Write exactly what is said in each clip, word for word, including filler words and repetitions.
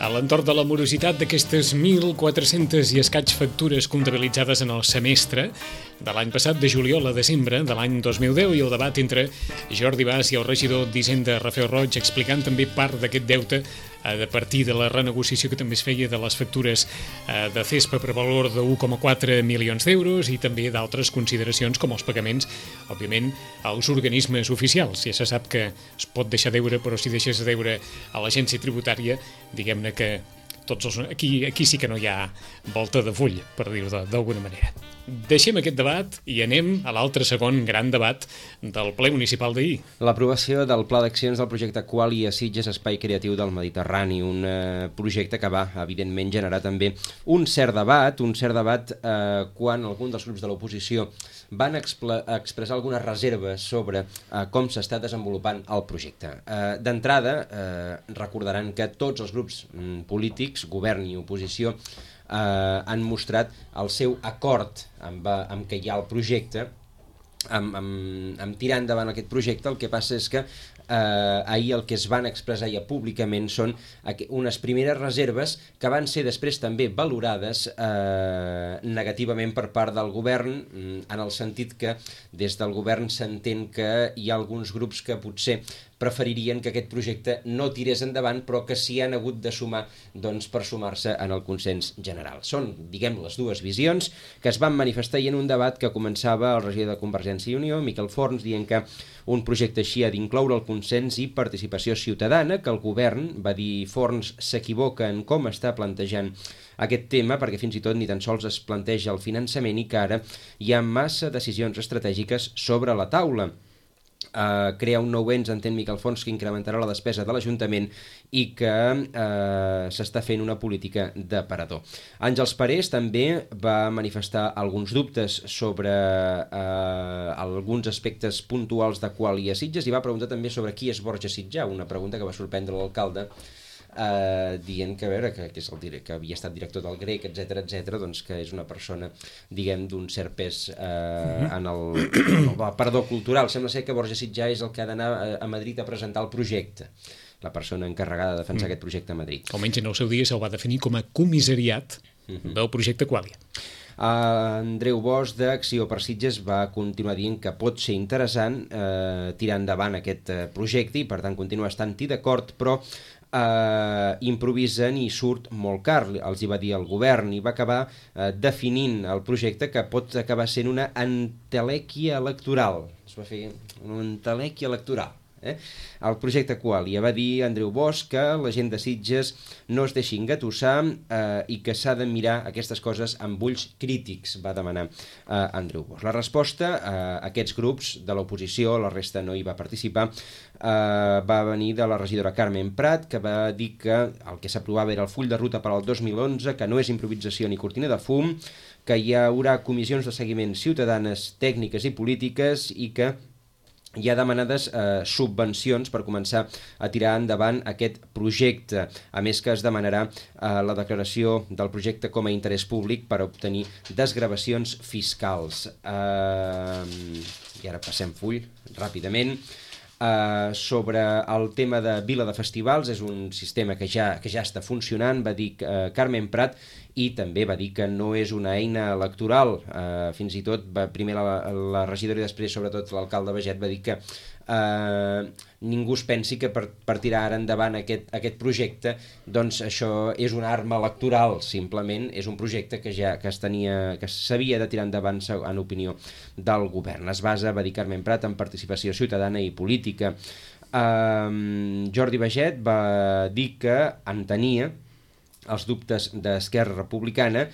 A l'entorn de la morositat d'aquestes mil quatre-centes i escaig factures comptabilitzades en el semestre de l'any passat, de juliol a desembre de l'any dos mil deu, i el debat entre Jordi Bas i el regidor d'Hisenda, Rafael Roig, explicant també part d'aquest deute a partir de la renegociació que també es feia de les factures de CESPA per valor de u coma quatre milions d'euros i també d'altres consideracions com els pagaments, òbviament, als organismes oficials. Ja se sap que es pot deixar deure, però si deixes de deure a l'agència tributària, diguem-ne que tots els, aquí, aquí sí que no hi ha volta de full, per dir-ho d'alguna manera. Deixem aquest debat i anem a l'altre segon gran debat del ple municipal d'ahir. L'aprovació del Pla d'Accions del projecte Qualia Sitges Espai Creatiu del Mediterrani, un eh, projecte que va, evidentment, generar també un cert debat, un cert debat eh, quan algun dels grups de l'oposició van expressar algunes reserves sobre eh, com s'està desenvolupant el projecte. Eh, D'entrada, eh, recordaran que tots els grups mm, polítics, govern i oposició, eh, han mostrat el seu acord amb, amb què hi ha el projecte, amb, amb, amb tirar endavant aquest projecte. El que passa és que eh, ahir el que es van expressar ja públicament són unes primeres reserves que van ser després també valorades eh, negativament per part del govern, en el sentit que des del govern s'entén que hi ha alguns grups que potser preferirien que aquest projecte no tirés endavant, però que s'hi han hagut de sumar doncs, per sumar-se en el consens general. Són, diguem, les dues visions que es van manifestar en un debat que començava el regidor de Convergència i Unió, Miquel Forns, dient que un projecte així ha d'incloure el consens i participació ciutadana, que el govern, va dir Forns, s'equivoca en com està plantejant aquest tema, perquè fins i tot ni tan sols es planteja el finançament i que ara hi ha massa decisions estratègiques sobre la taula. Uh, crear un nou ens, entén Miquel Forns, que incrementarà la despesa de l'Ajuntament i que uh, s'està fent una política d'aparador. Àngels Parés també va manifestar alguns dubtes sobre uh, alguns aspectes puntuals de Qualia Sitges i va preguntar també sobre qui és Borja Sitjà, una pregunta que va sorprendre l'alcalde, Uh, dient que, a veure, que, que, és el, que havia estat director del Grec, etcètera, etcètera, doncs que és una persona, diguem, d'un cert pes uh, en el, el aparador cultural. Sembla ser que Borja Sitjà és el que ha d'anar a, a Madrid a presentar el projecte, la persona encarregada de defensar mm. aquest projecte a Madrid. Almenys en el seu dia se'l va definir com a comissariat mm-hmm. del projecte Qualia. Uh, Andreu Bosch d'Acció per Sitges va continuar dient que pot ser interessant uh, tirar endavant aquest uh, projecte i per tant continuar estant-hi d'acord, però Uh, improvisen i surt molt car, els hi va dir el govern, i va acabar uh, definint el projecte que pot acabar sent una entelèquia electoral. Es va fer una entelèquia electoral. Eh? El projecte Qualia, va dir Andreu Bosch que la gent de Sitges no es deixi engatussar eh, i que s'ha de mirar aquestes coses amb ulls crítics, va demanar eh, Andreu Bosch. La resposta a eh, aquests grups de l'oposició, la resta no hi va participar, eh, va venir de la regidora Carmen Prat, que va dir que el que s'aprovava era el full de ruta per al dos mil onze, que no és improvisació ni cortina de fum, que hi haurà comissions de seguiment ciutadanes, tècniques i polítiques i que hi ha demanades eh, subvencions per començar a tirar endavant aquest projecte. A més que es demanarà eh, la declaració del projecte com a interès públic per obtenir desgravacions fiscals. Eh, I ara passem full ràpidament. Uh, sobre el tema de Vila de Festivals, és un sistema que ja, que ja està funcionant, va dir uh, Carmen Prat, i també va dir que no és una eina electoral. Uh, fins i tot, va, primer la, la regidora i després, sobretot, l'alcalde Baget va dir que uh, ningú es pensi que per, per tirar ara endavant aquest, aquest projecte, doncs això és una arma electoral, simplement és un projecte que ja que es tenia, que s'havia de tirar endavant en opinió del govern. Es basa, va dir Carmen Prat, en participació ciutadana i política. Uh, Jordi Baget va dir que entenia els dubtes d'Esquerra Republicana,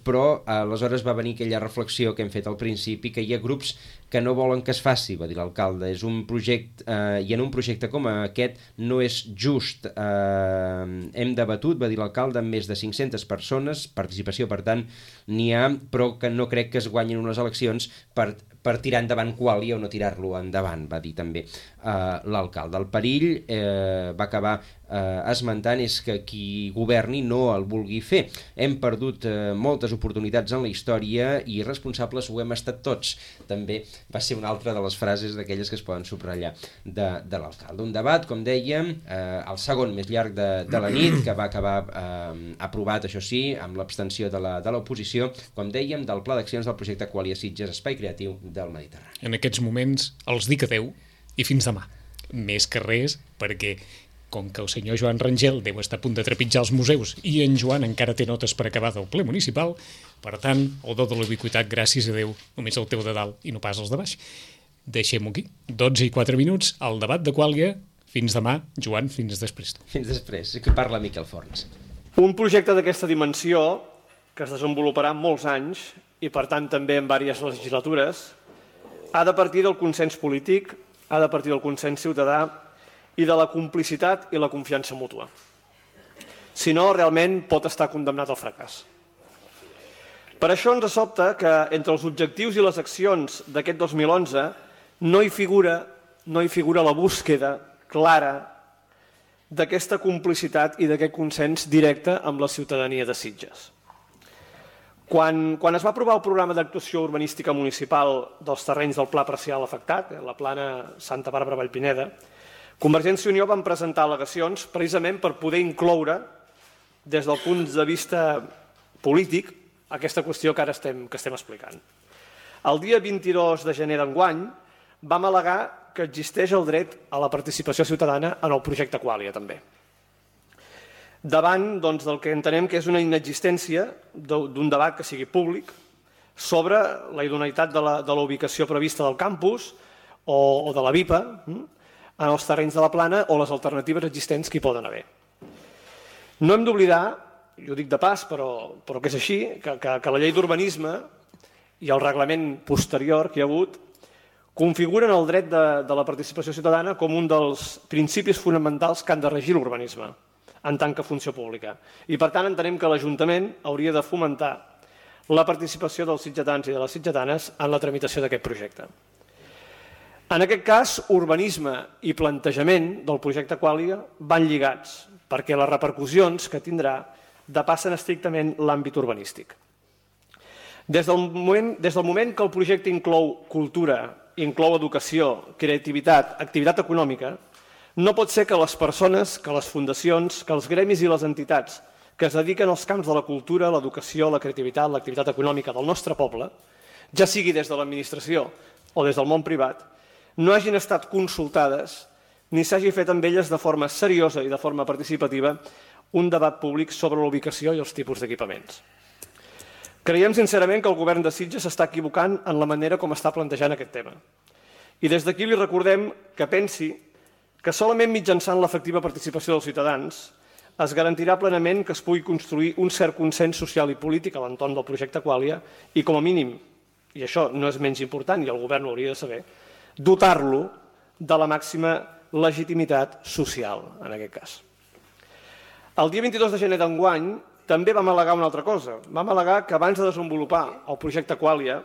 però aleshores va venir aquella reflexió que hem fet al principi, que hi ha grups que no volen que es faci, va dir l'alcalde. És un projecte, eh, i en un projecte com aquest no és just. Eh, hem debatut, va dir l'alcalde, amb més de cinc-centes persones, participació, per tant, n'hi ha, però que no crec que es guanyin unes eleccions per, per tirar endavant Qualia o no tirar-lo endavant, va dir també eh, l'alcalde. El perill, eh, va acabar eh, esmentant, és que qui governi no el vulgui fer. Hem perdut eh, moltes oportunitats en la història i responsables ho hem estat tots. També va ser una altra de les frases d'aquelles que es poden subratllar de, de l'alcalde. Un debat, com dèiem, eh, el segon més llarg de, de la nit, que va acabar eh, aprovat, això sí, amb l'abstenció de la, de l'oposició, com dèiem, del Pla d'Accions del projecte Qualia Sitges, Espai Creatiu del Mediterrani. En aquests moments els dic adeu i fins demà. Més que res, perquè com que el senyor Joan Rangel deu estar a punt de trepitjar els museus i en Joan encara té notes per acabar del ple municipal, per tant, el do de l'ubiquitat, gràcies a Déu, només el teu de dalt i no pas els de baix. Deixem-ho aquí. dotze i quatre minuts, el debat de Qualia. Fins demà, Joan, fins després. Fins després. Aquí parla Miquel Forns. Un projecte d'aquesta dimensió, que es desenvoluparà en molts anys, i per tant també en diverses legislatures, ha de partir del consens polític, ha de partir del consens ciutadà i de la complicitat i la confiança mútua. Si no, realment pot estar condemnat al fracàs. Per això ens sobta que entre els objectius i les accions d'aquest dos mil onze no hi figura, no hi figura la búsqueda clara d'aquesta complicitat i d'aquest consens directe amb la ciutadania de Sitges. Quan, quan es va aprovar el programa d'actuació urbanística municipal dels terrenys del Pla Parcial afectat, la plana Santa Bàrbara Vallpineda, Convergència i Unió van presentar al·legacions precisament per poder incloure, des del punt de vista polític, aquesta qüestió que ara estem, que estem explicant. El dia vint-i-dos de gener d'enguany vam al·legar que existeix el dret a la participació ciutadana en el projecte Qualia, també. Davant doncs, del que entenem que és una inexistència d'un debat que sigui públic sobre la idoneïtat de la, de la ubicació prevista del campus o, o de la V I P A, en els terrenys de la plana o les alternatives existents que hi poden haver. No hem d'oblidar, i ho dic de pas, però, però que és així, que, que, que la llei d'urbanisme i el reglament posterior que hi ha hagut configuren el dret de, de la participació ciutadana com un dels principis fonamentals que han de regir l'urbanisme en tant que funció pública. I per tant entenem que l'Ajuntament hauria de fomentar la participació dels sitgetans i de les sitgetanes en la tramitació d'aquest projecte. En aquest cas, urbanisme i plantejament del projecte Qualia van lligats, perquè les repercussions que tindrà depassen estrictament l'àmbit urbanístic. Des del moment, des del moment que el projecte inclou cultura, inclou educació, creativitat, activitat econòmica, no pot ser que les persones, que les fundacions, que els gremis i les entitats que es dediquen als camps de la cultura, l'educació, la creativitat, l'activitat econòmica del nostre poble, ja sigui des de l'administració o des del món privat, no hagin estat consultades ni s'hagi fet amb elles de forma seriosa i de forma participativa un debat públic sobre la ubicació i els tipus d'equipaments. Creiem sincerament que el govern de Sitges s'està equivocant en la manera com està plantejant aquest tema. I des d'aquí li recordem que pensi que solament mitjançant l'efectiva participació dels ciutadans es garantirà plenament que es pugui construir un cert consens social i polític a l'entorn del projecte Qualia i, com a mínim, i això no és menys important i el govern ho hauria de saber, dotar-lo de la màxima legitimitat social, en aquest cas. El dia vint-i-dos de gener d'enguany també vam al·legar una altra cosa. Vam al·legar que abans de desenvolupar el projecte Qualia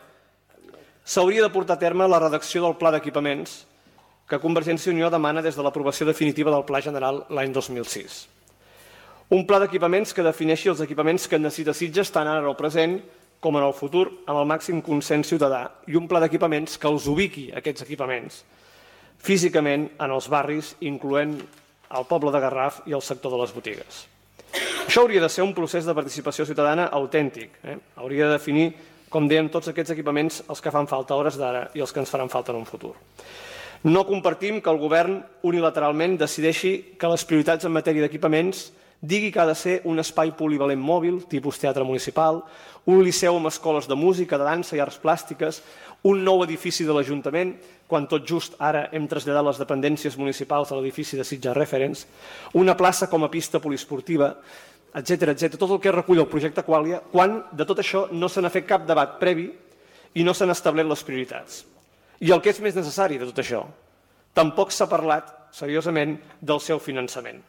s'hauria de portar a terme la redacció del pla d'equipaments que Convergència i Unió demana des de l'aprovació definitiva del Pla General l'any dos mil sis. Un pla d'equipaments que defineixi els equipaments que necessita Sitges tant ara en el present com en el futur, amb el màxim consens ciutadà, i un pla d'equipaments que els ubiqui, aquests equipaments, físicament en els barris, incloent el poble de Garraf i el sector de les botigues. Això hauria de ser un procés de participació ciutadana autèntic. Eh? Hauria de definir, com dèiem, tots aquests equipaments, els que fan falta a hores d'ara i els que ens faran falta en un futur. No compartim que el govern unilateralment decideixi que les prioritats en matèria d'equipaments digui que ha de ser un espai polivalent mòbil, tipus teatre municipal, un liceu amb escoles de música, de dansa i arts plàstiques, un nou edifici de l'Ajuntament, quan tot just ara hem traslladat les dependències municipals a l'edifici de Sitges Reference, una plaça com a pista poliesportiva, etcètera, etcètera, tot el que recull el projecte Qualia, quan de tot això no se n'ha fet cap debat previ i no s'han establert les prioritats. I el que és més necessari de tot això, tampoc s'ha parlat seriosament del seu finançament.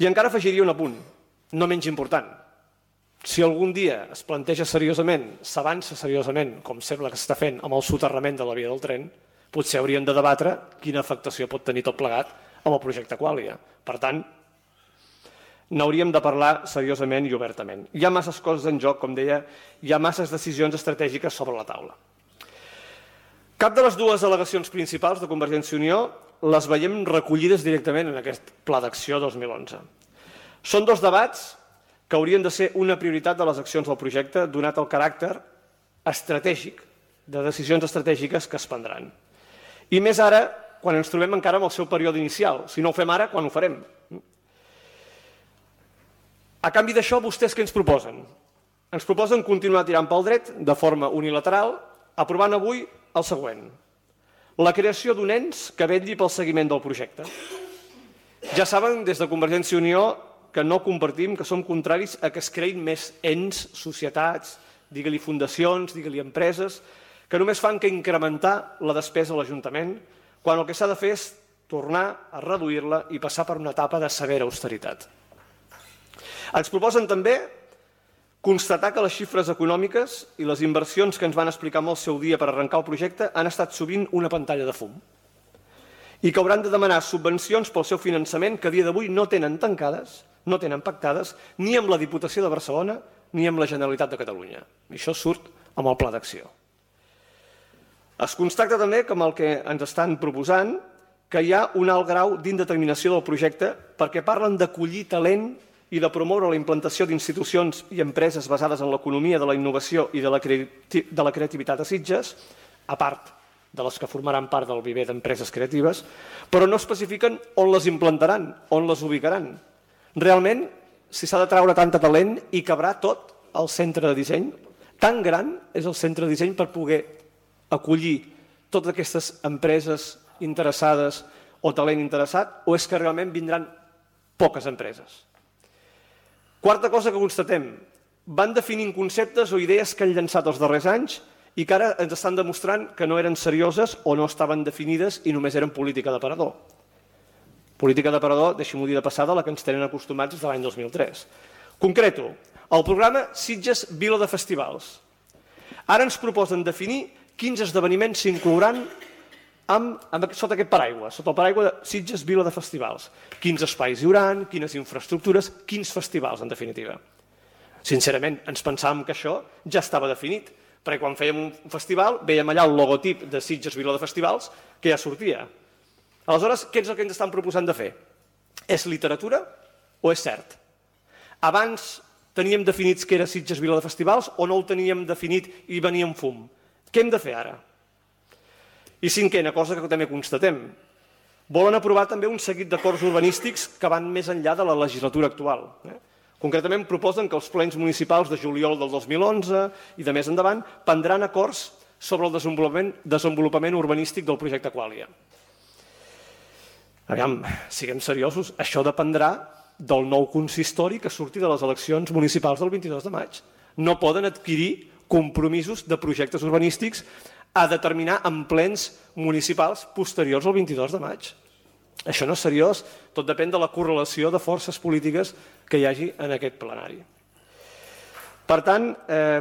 I encara afegiria un apunt, no menys important. Si algun dia es planteja seriosament, s'avança seriosament, com sembla que s'està fent amb el soterrament de la via del tren, potser hauríem de debatre quina afectació pot tenir tot plegat amb el projecte Qualia. Per tant, n'hauríem de parlar seriosament i obertament. Hi ha masses coses en joc, com deia, hi ha masses decisions estratègiques sobre la taula. Cap de les dues al·legacions principals de Convergència i Unió les veiem recollides directament en aquest Pla d'Acció dos mil onze. Són dos debats que haurien de ser una prioritat de les accions del projecte, donat el caràcter estratègic, de decisions estratègiques que es prendran. I més ara, quan ens trobem encara amb el seu període inicial. Si no ho fem ara, quan ho farem? A canvi d'això, vostès què ens proposen? Ens proposen continuar tirant pel dret, de forma unilateral, aprovant avui el següent: la creació d'un ens que vetlli pel seguiment del projecte. Ja saben, des de Convergència i Unió, que no compartim, que som contraris a que es creïn més ens, societats, digue-li fundacions, digue-li empreses, que només fan que incrementar la despesa a l'Ajuntament, quan el que s'ha de fer és tornar a reduir-la i passar per una etapa de severa austeritat. Ens proposen també constatar que les xifres econòmiques i les inversions que ens van explicar en el seu dia per arrencar el projecte han estat sovint una pantalla de fum i que hauran de demanar subvencions pel seu finançament que a dia d'avui no tenen tancades, no tenen pactades ni amb la Diputació de Barcelona ni amb la Generalitat de Catalunya. I això surt amb el Pla d'Acció. Es constata també que amb el que ens estan proposant que hi ha un alt grau d'indeterminació del projecte perquè parlen d'acollir talent i de promoure la implantació d'institucions i empreses basades en l'economia de la innovació i de la, creati de la creativitat a Sitges, a part de les que formaran part del viver d'empreses creatives, però no especifiquen on les implantaran, on les ubicaran. Realment, si s'ha de treure tant talent, hi cabrà tot el centre de disseny? Tan gran és el centre de disseny per poder acollir totes aquestes empreses interessades o talent interessat, o és que realment vindran poques empreses? Quarta cosa que constatem, van definint conceptes o idees que han llançat els darrers anys i que ara ens estan demostrant que no eren serioses o no estaven definides i només eren política d'aparador. Política d'aparador, deixem-ho dir de passada, la que ens tenen acostumats des de l'any dos mil tres. Concreto, el programa Sitges Vila de Festivals. Ara ens proposen definir quins esdeveniments s'inclouran Amb, amb, sota aquest paraigua, sota el paraigua de Sitges Vila de Festivals. Quins espais hi haurà, quines infraestructures, quins festivals, en definitiva. Sincerament, ens pensàvem que això ja estava definit, perquè quan fèiem un festival veiem allà el logotip de Sitges Vila de Festivals que ja sortia. Aleshores, què és el que ens estan proposant de fer? És literatura o és cert? Abans teníem definits què era Sitges Vila de Festivals o no ho teníem definit i venia en fum? Què hem de fer ara? I cinquena cosa que també constatem, volen aprovar també un seguit d'acords urbanístics que van més enllà de la legislatura actual. Concretament proposen que els plens municipals de juliol del dos mil onze i de més endavant prendran acords sobre el desenvolupament, desenvolupament urbanístic del projecte Qualia. Aviam, siguem seriosos, això dependrà del nou consistori que surti de les eleccions municipals del vint-i-dos de maig. No poden adquirir compromisos de projectes urbanístics a determinar en plens municipals posteriors al vint-i-dos de maig. Això no és seriós, tot depèn de la correlació de forces polítiques que hi hagi en aquest plenari. Per tant, eh,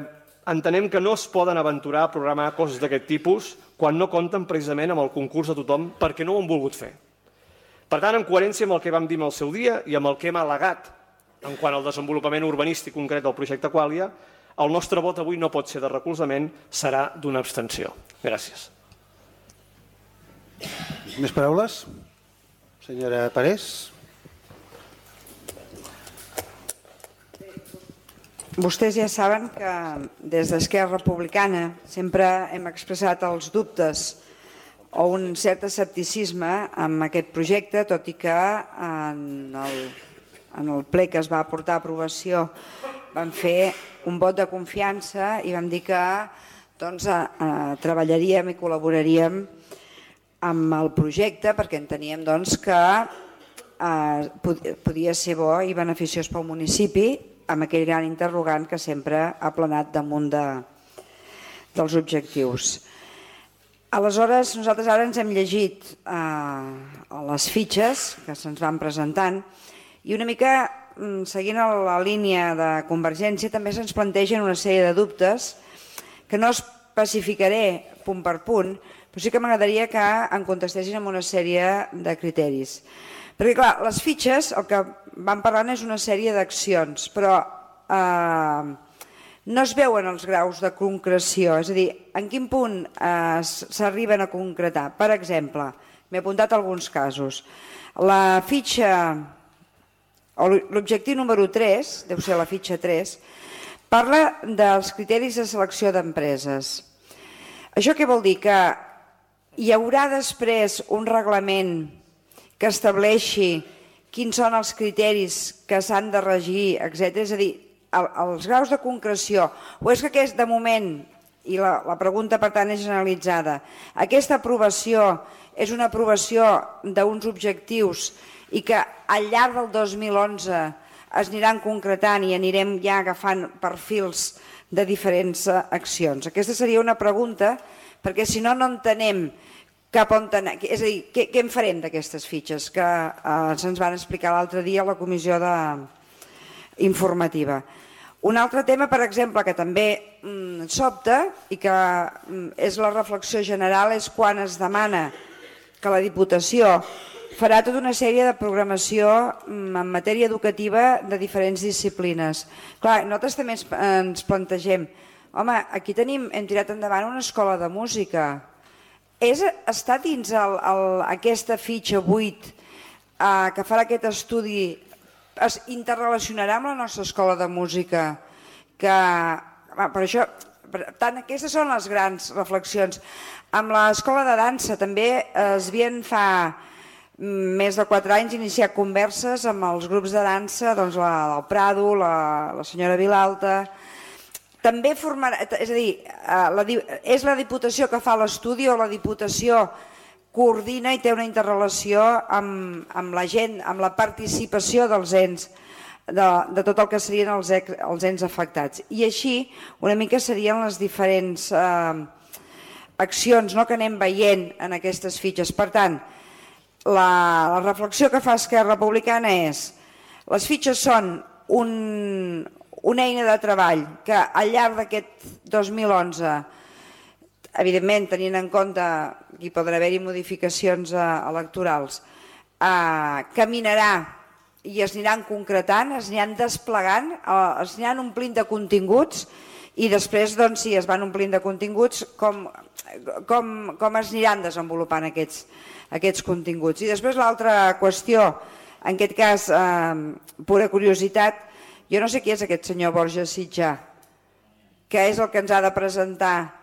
entenem que no es poden aventurar a programar coses d'aquest tipus quan no compten precisament amb el concurs de tothom perquè no ho han volgut fer. Per tant, en coherència amb el que vam dir el seu dia i amb el que hem al·legat en quant al desenvolupament urbanístic concret del projecte Qualia, el nostre vot avui no pot ser de recolzament, serà d'una abstenció. Gràcies. Més paraules? Senyora Parés. Vostès ja saben que des d'Esquerra Republicana sempre hem expressat els dubtes o un cert escepticisme amb aquest projecte, tot i que en el, en el ple que es va portar a aprovació vam fer un vot de confiança i vam dir que doncs, eh, treballaríem i col·laboraríem amb el projecte perquè enteníem doncs, que eh, podia ser bo i beneficiós pel municipi amb aquell gran interrogant que sempre ha planat damunt de, dels objectius. Aleshores, nosaltres ara ens hem llegit eh, les fitxes que se'ns van presentant i una mica seguint la línia de Convergència, també se'ns plantegen una sèrie de dubtes que no especificaré punt per punt, però sí que m'agradaria que en contestessin amb una sèrie de criteris. Perquè, clar, les fitxes, el que van parlant és una sèrie d'accions, però eh, no es veuen els graus de concreció, és a dir, en quin punt eh, s'arriben a concretar. Per exemple, m'he apuntat alguns casos. La fitxa, o l'objectiu número tres, deu ser la fitxa tres, parla dels criteris de selecció d'empreses. Això què vol dir? Que hi haurà després un reglament que estableixi quins són els criteris que s'han de regir, etcètera. És a dir, els graus de concreció, o és que aquest, de moment, i la, la pregunta per tant és generalitzada, aquesta aprovació és una aprovació d'uns objectius i que al llarg del dos mil onze es aniran concretant i anirem ja agafant perfils de diferents accions. Aquesta seria una pregunta, perquè si no, no entenem cap on anar. És a dir, què, què en farem d'aquestes fitxes que eh, se'ns van explicar l'altre dia a la comissió de, informativa. Un altre tema, per exemple, que també mm, sobta i que mm, és la reflexió general és quan es demana que la Diputació farà tota una sèrie de programació mm, en matèria educativa de diferents disciplines. Clar, nosaltres també ens, ens plantegem, home, aquí tenim, hem tirat endavant una escola de música. És, està dins el, el, aquesta fitxa vuit eh, que farà aquest estudi, es interrelacionarà amb la nostra escola de música, que per això, per tant, aquestes són les grans reflexions. Amb l'escola de dansa també es havien fa més de quatre anys iniciat converses amb els grups de dansa, doncs la del Prado, la, la senyora Vilalta. També formarà, és a dir, la, és la Diputació que fa l'estudi o la Diputació coordina i té una interrelació amb, amb la gent, amb la participació dels ens, de, de tot el que serien els, els ens afectats. I així una mica serien les diferents eh, accions, no?, que anem veient en aquestes fitxes. Per tant, la, la reflexió que fa Esquerra Republicana és les fitxes són un, una eina de treball que al llarg d'aquest dos mil onze, evidentment, tenint en compte que hi podrà haver-hi modificacions electorals, eh, caminarà i es aniran concretant, es aniran desplegant, eh, es aniran omplint de continguts i després, doncs, si es van omplint de continguts, com, com, com es aniran desenvolupant aquests, aquests continguts. I després l'altra qüestió, en aquest cas, eh, pura curiositat, jo no sé qui és aquest senyor Borja Sitjà, que és el que ens ha de presentar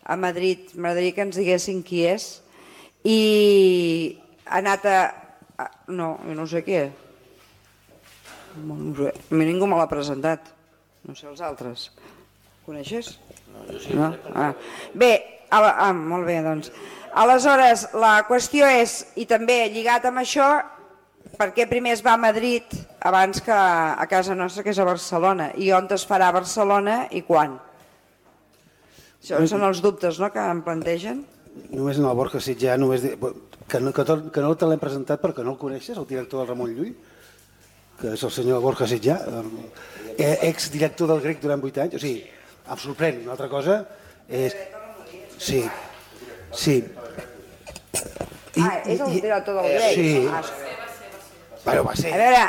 a Madrid, m'agradaria que ens diguessin qui és, i ha anat a... No, jo no sé qui és. No sé. A mi ningú me l'ha presentat. No sé els altres. Coneixes? No, jo sí. No? Ah. Bé, ah, molt bé, doncs. Aleshores, la qüestió és, i també lligat amb això, per què primer es va a Madrid abans que a casa nostra, que és a Barcelona, i on es farà a Barcelona i quan? Això són els dubtes, no?, que em plantegen. Només en el Borja Sitjà, només de... que, no, que, tot, que no te l'hem presentat perquè no el coneixes, el director del Ramon Llull, que és el senyor Borja Sitjà, exdirector del Grec durant vuit anys. O sigui, em sorprèn. Una altra cosa és... Sí, sí. I, ah, és el director del Grec? Sí. Ah, bueno, va ser. A veure,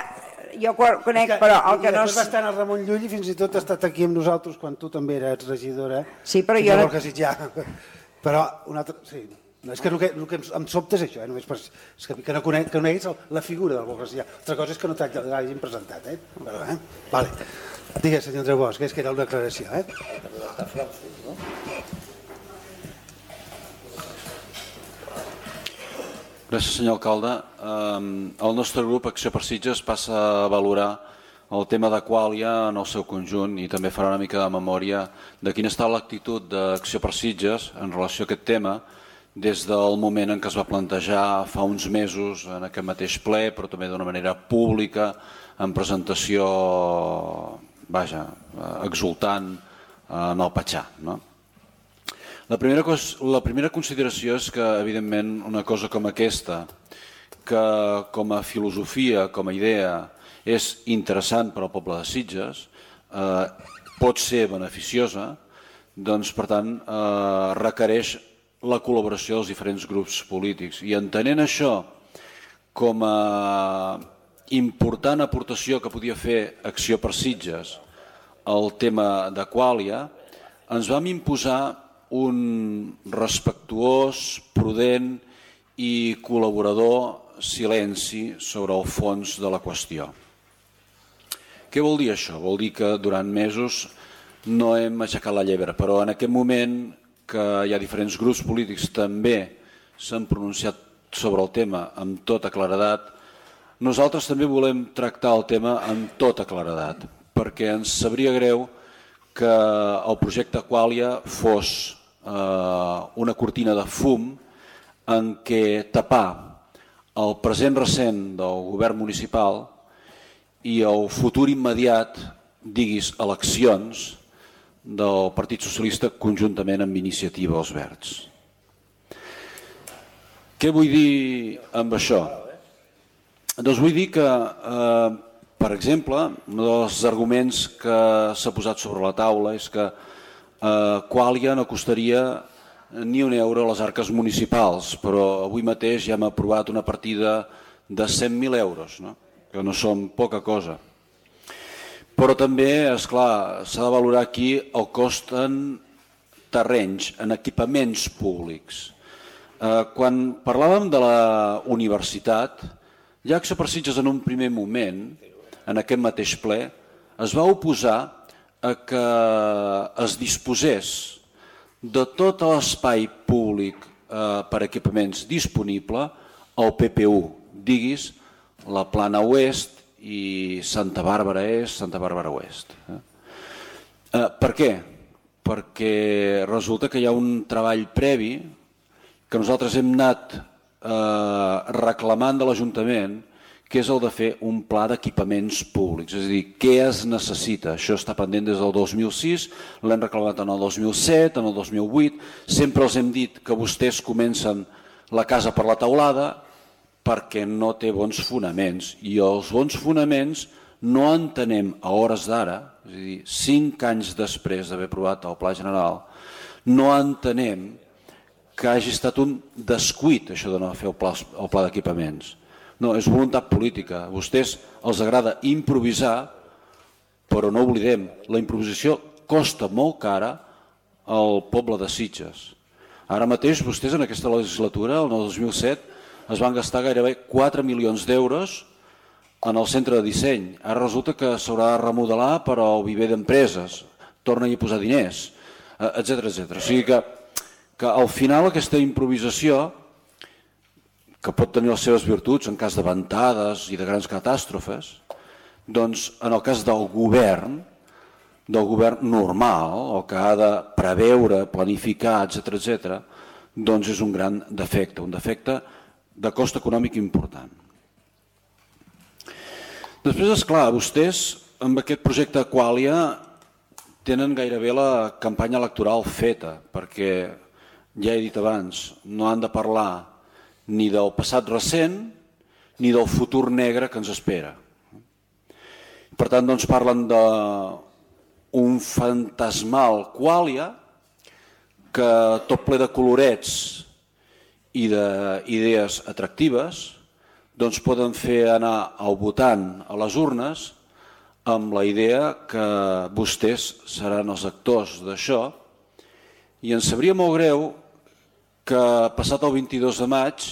jo conec, però el que no... I després va estar en el Ramon Llull i fins i tot ha estat aquí amb nosaltres quan tu també eres regidora. Sí, però jo... Borja Sitjà. Però una altra... Sí. No, és que el que, el que em sobta és això, eh? Només per, és que, que no coneguis conec la figura del Borja Sitjà. Altra cosa és que no t'hagin presentat, eh? Però, eh? Vale. Digues, senyor Andreu Bosch, és que era una declaració, eh? Gràcies, senyor alcalde. El nostre grup Acció per Sitges passa a valorar el tema de Quàlia en el seu conjunt i també farà una mica de memòria de quina està l'actitud d'Acció per Sitges en relació a aquest tema des del moment en què es va plantejar fa uns mesos en aquest mateix ple, però també d'una manera pública, en presentació, vaja, exultant en el Patxà, no? La primera, la primera consideració és que, evidentment, una cosa com aquesta, que com a filosofia, com a idea, és interessant per al poble de Sitges, eh, pot ser beneficiosa, doncs, per tant, eh, requereix la col·laboració dels diferents grups polítics. I entenent això com a important aportació que podia fer Acció per Sitges el tema d'Aquàlia, ens vam imposar un respectuós, prudent i col·laborador silenci sobre el fons de la qüestió. Què vol dir això? Vol dir que durant mesos no hem aixecat la llebre, però en aquest moment que hi ha diferents grups polítics també s'han pronunciat sobre el tema amb tota claredat, nosaltres també volem tractar el tema amb tota claredat, perquè ens sabria greu que el projecte Aquàlia fos eh, una cortina de fum en què tapar el present recent del govern municipal i el futur immediat, diguis, eleccions del Partit Socialista conjuntament amb Iniciativa Els Verds. Què vull dir amb això? Doncs vull dir que, eh, per exemple, un dels arguments que s'ha posat sobre la taula és que Aquàlia no costaria ni un euro a les arques municipals, però avui mateix ja hem aprovat una partida de cent mil euros, no? Que no són poca cosa. Però també, esclar, s'ha de valorar aquí el cost en terrenys, en equipaments públics. Eh, quan parlàvem de la universitat, ja Acció per Sitges en un primer moment, en aquest mateix ple, es va oposar a que es disposés de tot l'espai públic eh, per equipaments disponible al P P U, diguis la Plana Oest i Santa Bàrbara Est, Santa Bàrbara Oest. Eh? Eh, per què? Perquè resulta que hi ha un treball previ que nosaltres hem anat eh, reclamant de l'Ajuntament, que és el de fer un pla d'equipaments públics. És a dir, què es necessita? Això està pendent des del dos mil sis, l'hem reclamat en el dos mil set, en el dos mil vuit. Sempre els hem dit que vostès comencen la casa per la teulada perquè no té bons fonaments. I els bons fonaments no entenem a hores d'ara, és a dir, cinc anys després d'haver aprovat el Pla General, no entenem que hagi estat un descuit això de no fer el pla, el pla d'equipaments. No, és voluntat política. A vostès els agrada improvisar, però no oblidem, la improvisació costa molt cara al poble de Sitges. Ara mateix vostès en aquesta legislatura, el dos mil set, es van gastar gairebé quatre milions d'euros en el centre de disseny. Ara resulta que s'haurà de remodelar per al viver d'empreses, torna-hi a posar diners, etcètera, etcètera. O sigui que, que al final aquesta improvisació, que pot tenir les seves virtuts en cas de ventades i de grans catàstrofes, doncs en el cas del govern, del govern normal, el que ha de preveure, planificar, etcètera, etcètera, doncs és un gran defecte, un defecte de cost econòmic important. Després, esclar, vostès amb aquest projecte Aquàlia tenen gairebé la campanya electoral feta, perquè, ja he dit abans, no han de parlar ni del passat recent ni del futur negre que ens espera. Per tant, doncs parlen d'un fantasmal Aquàlia que tot ple de colorets i d'idees atractives doncs poden fer anar el votant a les urnes amb la idea que vostès seran els actors d'això, i ens sabria molt greu que passat el vint-i-dos de maig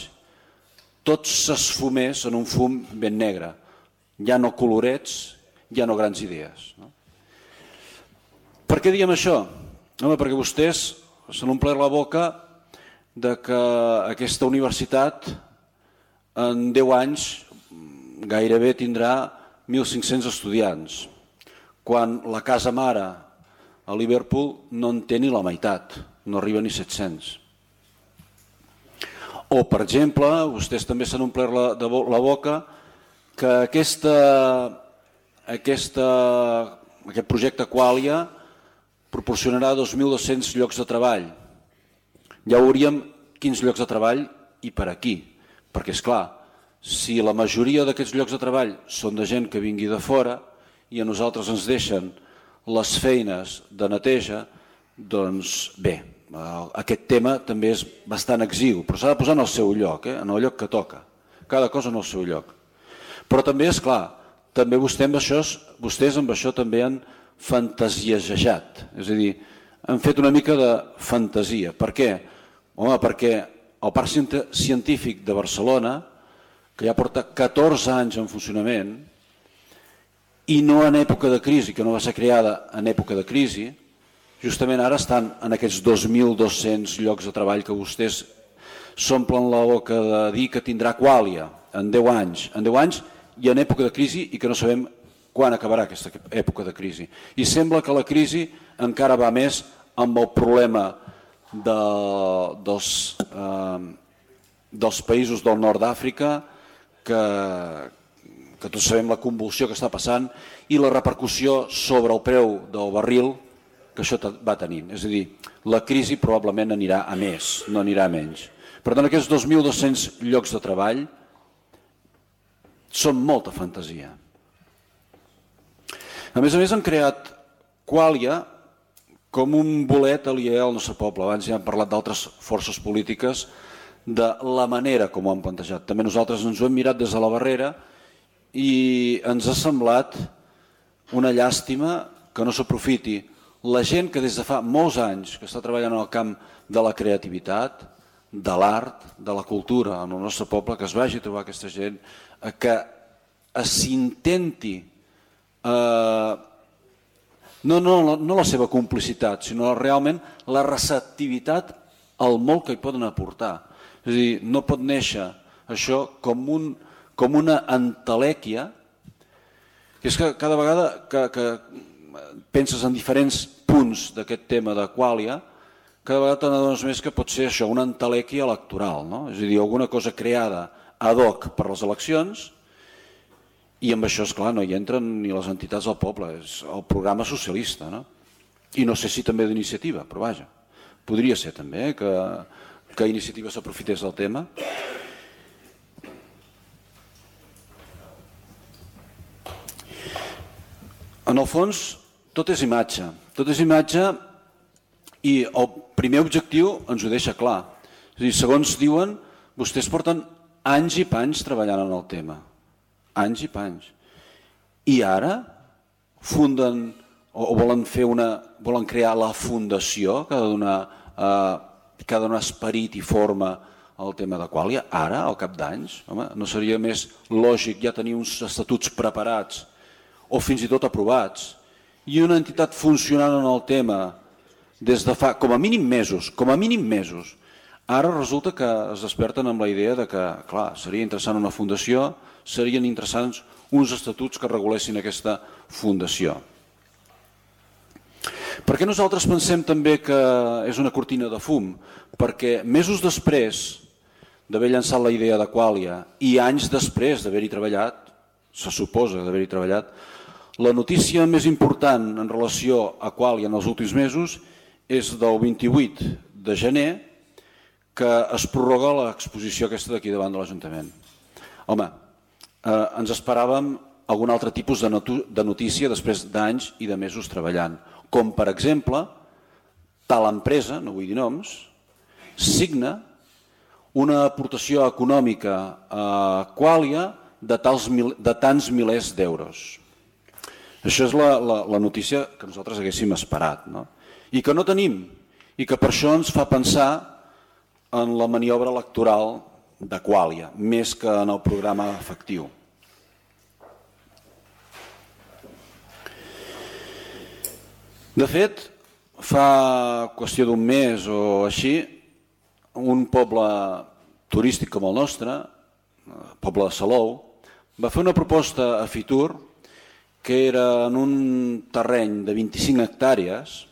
tot s'esfumés en un fum ben negre. Ja no colorets, ja no grans idees. No? Per què diem això? Home, perquè vostès s'han omplert la boca de que aquesta universitat en deu anys gairebé tindrà mil cinc-cents estudiants, quan la casa mare a Liverpool no en té ni la meitat, no arriba ni set-cents. O, per exemple, vostès també s'han omplert la, de la boca que aquesta, aquesta, aquest projecte Aquàlia proporcionarà dos mil dos-cents llocs de treball. Ja veuríem quins llocs de treball i per aquí, perquè, és clar, si la majoria d'aquests llocs de treball són de gent que vingui de fora i a nosaltres ens deixen les feines de neteja, doncs bé, aquest tema també és bastant exigu, però s'ha de posar en el seu lloc, eh? En el lloc que toca, cada cosa en el seu lloc. Però també, és clar, també vostè amb això, vostès amb això també han fantasiejat, és a dir, han fet una mica de fantasia. Per què? Home, perquè el Parc Científic de Barcelona, que ja porta catorze anys en funcionament, i no en època de crisi, que no va ser creada en època de crisi, justament ara estan en aquests dos mil dos-cents llocs de treball que vostès s'omplen la boca de dir que tindrà Qualia en deu anys, en deu anys i en època de crisi, i que no sabem quan acabarà aquesta època de crisi. I sembla que la crisi encara va més amb el problema de, dels, eh, dels països del nord d'Àfrica, que, que tots sabem la convulsió que està passant i la repercussió sobre el preu del barril que això va tenint. És a dir, la crisi probablement anirà a més, no anirà a menys. Per tant, aquests dos mil dos-cents llocs de treball són molta fantasia. A més a més, han creat Qualia com un bolet aliè al nostre poble. Abans ja hem parlat d'altres forces polítiques, de la manera com ho han plantejat. També nosaltres ens ho hem mirat des de la barrera i ens ha semblat una llàstima que no s'aprofiti la gent que des de fa molts anys que està treballant en el camp de la creativitat, de l'art, de la cultura en el nostre poble, que es vagi a trobar aquesta gent, que s'intenti eh, no, no, no la seva complicitat, sinó realment la receptivitat al molt que hi poden aportar. És a dir, no pot néixer això com, un, com una entelèquia, que és que cada vegada que, que penses en diferents punts d'aquest tema de Qualia, cada vegada te n'adones més que pot ser això, una entelèquia electoral, no? És a dir, alguna cosa creada ad hoc per les eleccions, i amb això, esclar, no hi entren ni les entitats del poble, és el programa socialista, no? I no sé si també d'iniciativa, però vaja, podria ser també que, que iniciativa s'aprofités del tema. En el fons, tot és imatge, tot és imatge i el primer objectiu ens ho deixa clar. És a dir, segons diuen, vostès porten anys i panys treballant en el tema. Anys i panys. I ara funden o volen fer una, volen crear la fundació que ha de donar, eh, que ha de donar esperit i forma al tema de Qualia. Ara, al cap d'anys, home, no seria més lògic ja tenir uns estatuts preparats o fins i tot aprovats i una entitat funcionant en el tema des de fa com a mínim mesos, com a mínim mesos. Ara resulta que es desperten amb la idea de que, clar, seria interessant una fundació, serien interessants uns estatuts que regulessin aquesta fundació. Per què nosaltres pensem també que és una cortina de fum? Perquè mesos després d'haver llançat la idea de Qualia i anys després d'haver-hi treballat, se suposa d'haver-hi treballat, la notícia més important en relació a Qualia en els últims mesos és del vint-i-vuit de gener, que es prorroga l'exposició aquesta d'aquí davant de l'Ajuntament. Home, eh, ens esperàvem algun altre tipus de, de notícia després d'anys i de mesos treballant, com per exemple, tal empresa, no vull dir noms, signa una aportació econòmica a Qualia de, tals, de tants milers d'euros. Això és la, la, la notícia que nosaltres haguéssim esperat, no? I que no tenim, i que per això ens fa pensar en la maniobra electoral de Qualia, més que en el programa efectiu. De fet, fa qüestió d'un mes o així, un poble turístic com el nostre, el poble de Salou, va fer una proposta a Fitur que era en un terreny de vint-i-cinc hectàrees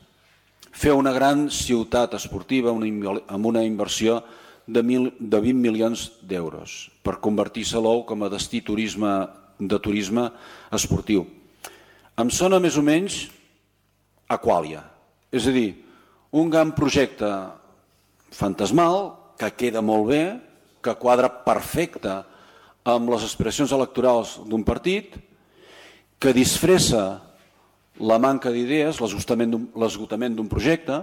fer una gran ciutat esportiva amb una inversió de vint milions d'euros per convertir Salou com a destí de turisme esportiu. Em sona més o menys a Qualia, és a dir, un gran projecte fantasmal que queda molt bé, que quadra perfecte amb les aspiracions electorals d'un partit, que disfressa la manca d'idees, l'esgotament d'un projecte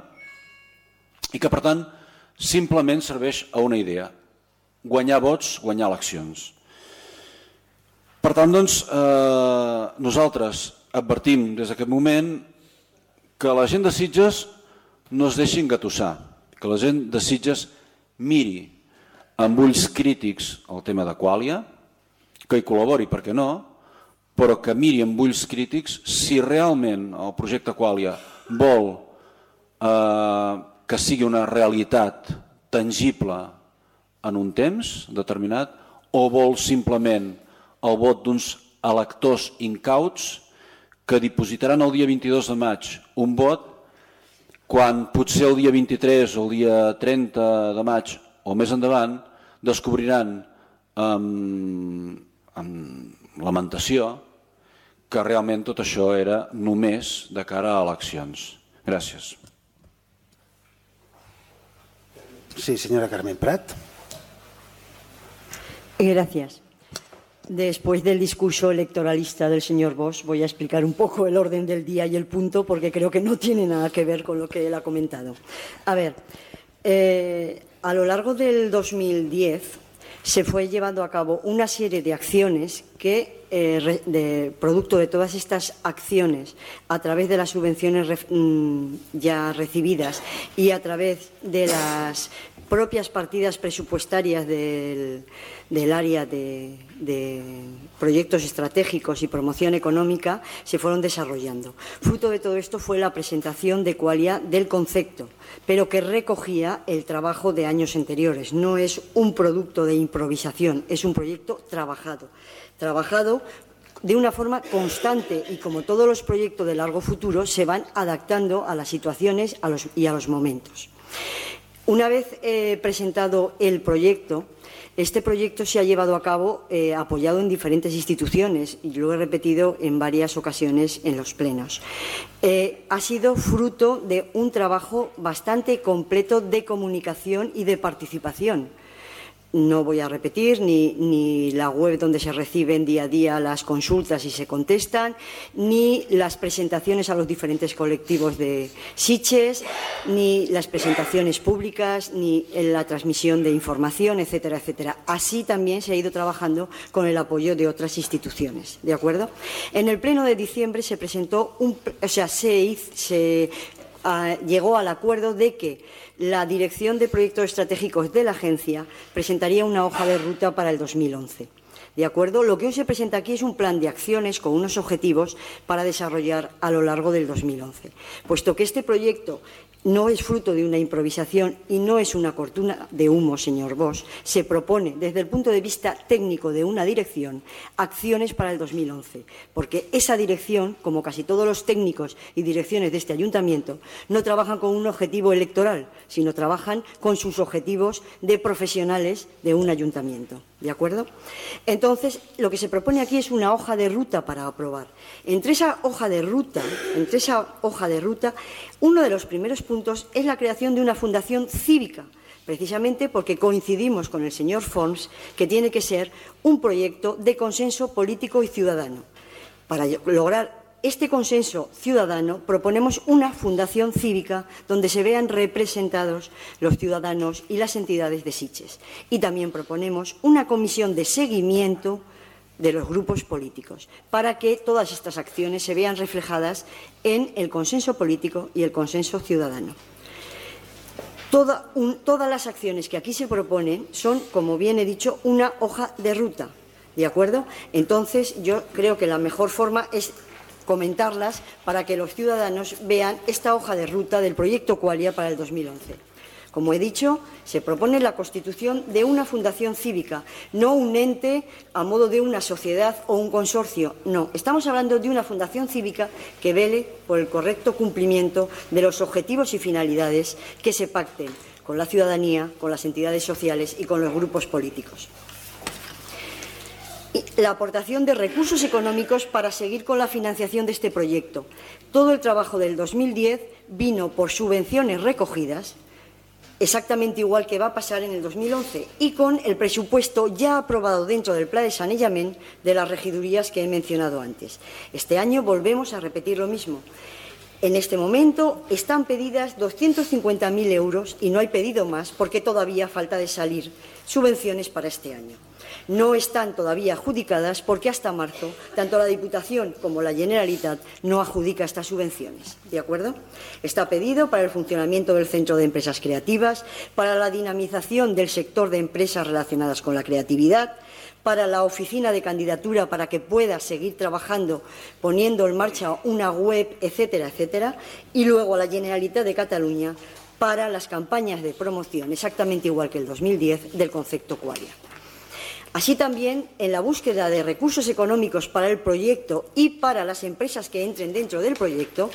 i que, per tant, simplement serveix a una idea, guanyar vots, guanyar eleccions. Per tant, doncs, eh, nosaltres advertim des d'aquest moment que la gent de Sitges no es deixi engatussar, que la gent de Sitges miri amb ulls crítics el tema de Qualia, que hi col·labori, per què no, però que miri amb ulls crítics si realment el projecte Qualia vol eh, que sigui una realitat tangible en un temps determinat o vol simplement el vot d'uns electors incauts que dipositaran el dia vint-i-dos de maig un vot quan potser el dia vint-i-tres o el dia trenta de maig o més endavant descobriran amb, amb lamentació que realment tot això era només de cara a eleccions. Gràcies. Sí, señora Carmen Prat. Gracias. Después del discurso electoralista del señor Bosch, voy a explicar un poco el orden del día y el punto, porque creo que no tiene nada que ver con lo que él ha comentado. A ver, eh, a lo largo del dos mil diez se fue llevando a cabo una serie de acciones que, eh, de, producto de todas estas acciones, a través de las subvenciones re, ya recibidas y a través de las propias partidas presupuestarias del, del área de, de proyectos estratégicos y promoción económica, se fueron desarrollando. Fruto de todo esto fue la presentación de Qualia del concepto, pero que recogía el trabajo de años anteriores. No es un producto de improvisación, es un proyecto trabajado. Trabajado de una forma constante y, como todos los proyectos de largo futuro, se van adaptando a las situaciones a los, y a los momentos. Una vez eh, presentado el proyecto, este proyecto se ha llevado a cabo eh, apoyado en diferentes instituciones y lo he repetido en varias ocasiones en los plenos. Eh, ha sido fruto de un trabajo bastante completo de comunicación y de participación. No voy a repetir ni, ni la web donde se reciben día a día las consultas y se contestan, ni las presentaciones a los diferentes colectivos de Sitges, ni las presentaciones públicas, ni la transmisión de información, etcétera, etcétera. Así también se ha ido trabajando con el apoyo de otras instituciones, ¿de acuerdo? En el pleno de diciembre se presentó, un, o sea, se, hizo, se uh, llegó al acuerdo de que la Dirección de Proyectos Estratégicos de la Agencia presentaría una hoja de ruta para el dos mil once. ¿De acuerdo? Lo que hoy se presenta aquí es un plan de acciones con unos objetivos para desarrollar a lo largo del dos mil once. Puesto que este proyecto no es fruto de una improvisación y no es una cortina de humo, señor Bosch, se propone, desde el punto de vista técnico de una dirección, acciones para el dos mil once, porque esa dirección, como casi todos los técnicos y direcciones de este ayuntamiento, no trabajan con un objetivo electoral, sino trabajan con sus objetivos de profesionales de un ayuntamiento. ¿De acuerdo? Entonces, lo que se propone aquí es una hoja de ruta para aprobar. Entre esa hoja de ruta, entre esa hoja de ruta, uno de los primeros puntos es la creación de una fundación cívica, precisamente porque coincidimos con el señor Forns que tiene que ser un proyecto de consenso político y ciudadano. Para lograr este consenso ciudadano, proponemos una fundación cívica donde se vean representados los ciudadanos y las entidades de Sitges. Y también proponemos una comisión de seguimiento de los grupos políticos para que todas estas acciones se vean reflejadas en el consenso político y el consenso ciudadano. Toda un, todas las acciones que aquí se proponen son, como bien he dicho, una hoja de ruta. ¿De acuerdo? Entonces, yo creo que la mejor forma es comentarlas para que los ciudadanos vean esta hoja de ruta del proyecto Qualia para el dos mil once. Como he dicho, se propone la constitución de una fundación cívica, no un ente a modo de una sociedad o un consorcio. No, estamos hablando de una fundación cívica que vele por el correcto cumplimiento de los objetivos y finalidades que se pacten con la ciudadanía, con las entidades sociales y con los grupos políticos. La aportación de recursos económicos para seguir con la financiación de este proyecto. Todo el trabajo del dos mil diez vino por subvenciones recogidas, exactamente igual que va a pasar en el dos mil once, y con el presupuesto ya aprobado dentro del Plan de Sanejament de las regidurías que he mencionado antes. Este año volvemos a repetir lo mismo. En este momento están pedidas doscientos cincuenta mil euros y no hay pedido más porque todavía falta de salir subvenciones para este año. No están todavía adjudicadas porque hasta marzo tanto la Diputación como la Generalitat no adjudica estas subvenciones. ¿De acuerdo? Está pedido para el funcionamiento del Centro de Empresas Creativas, para la dinamización del sector de empresas relacionadas con la creatividad, para la oficina de candidatura para que pueda seguir trabajando poniendo en marcha una web, etcétera, etcétera, y luego a la Generalitat de Cataluña para las campañas de promoción, exactamente igual que el dos mil diez, del concepto Qualia. Así también, en la búsqueda de recursos económicos para el proyecto y para las empresas que entren dentro del proyecto,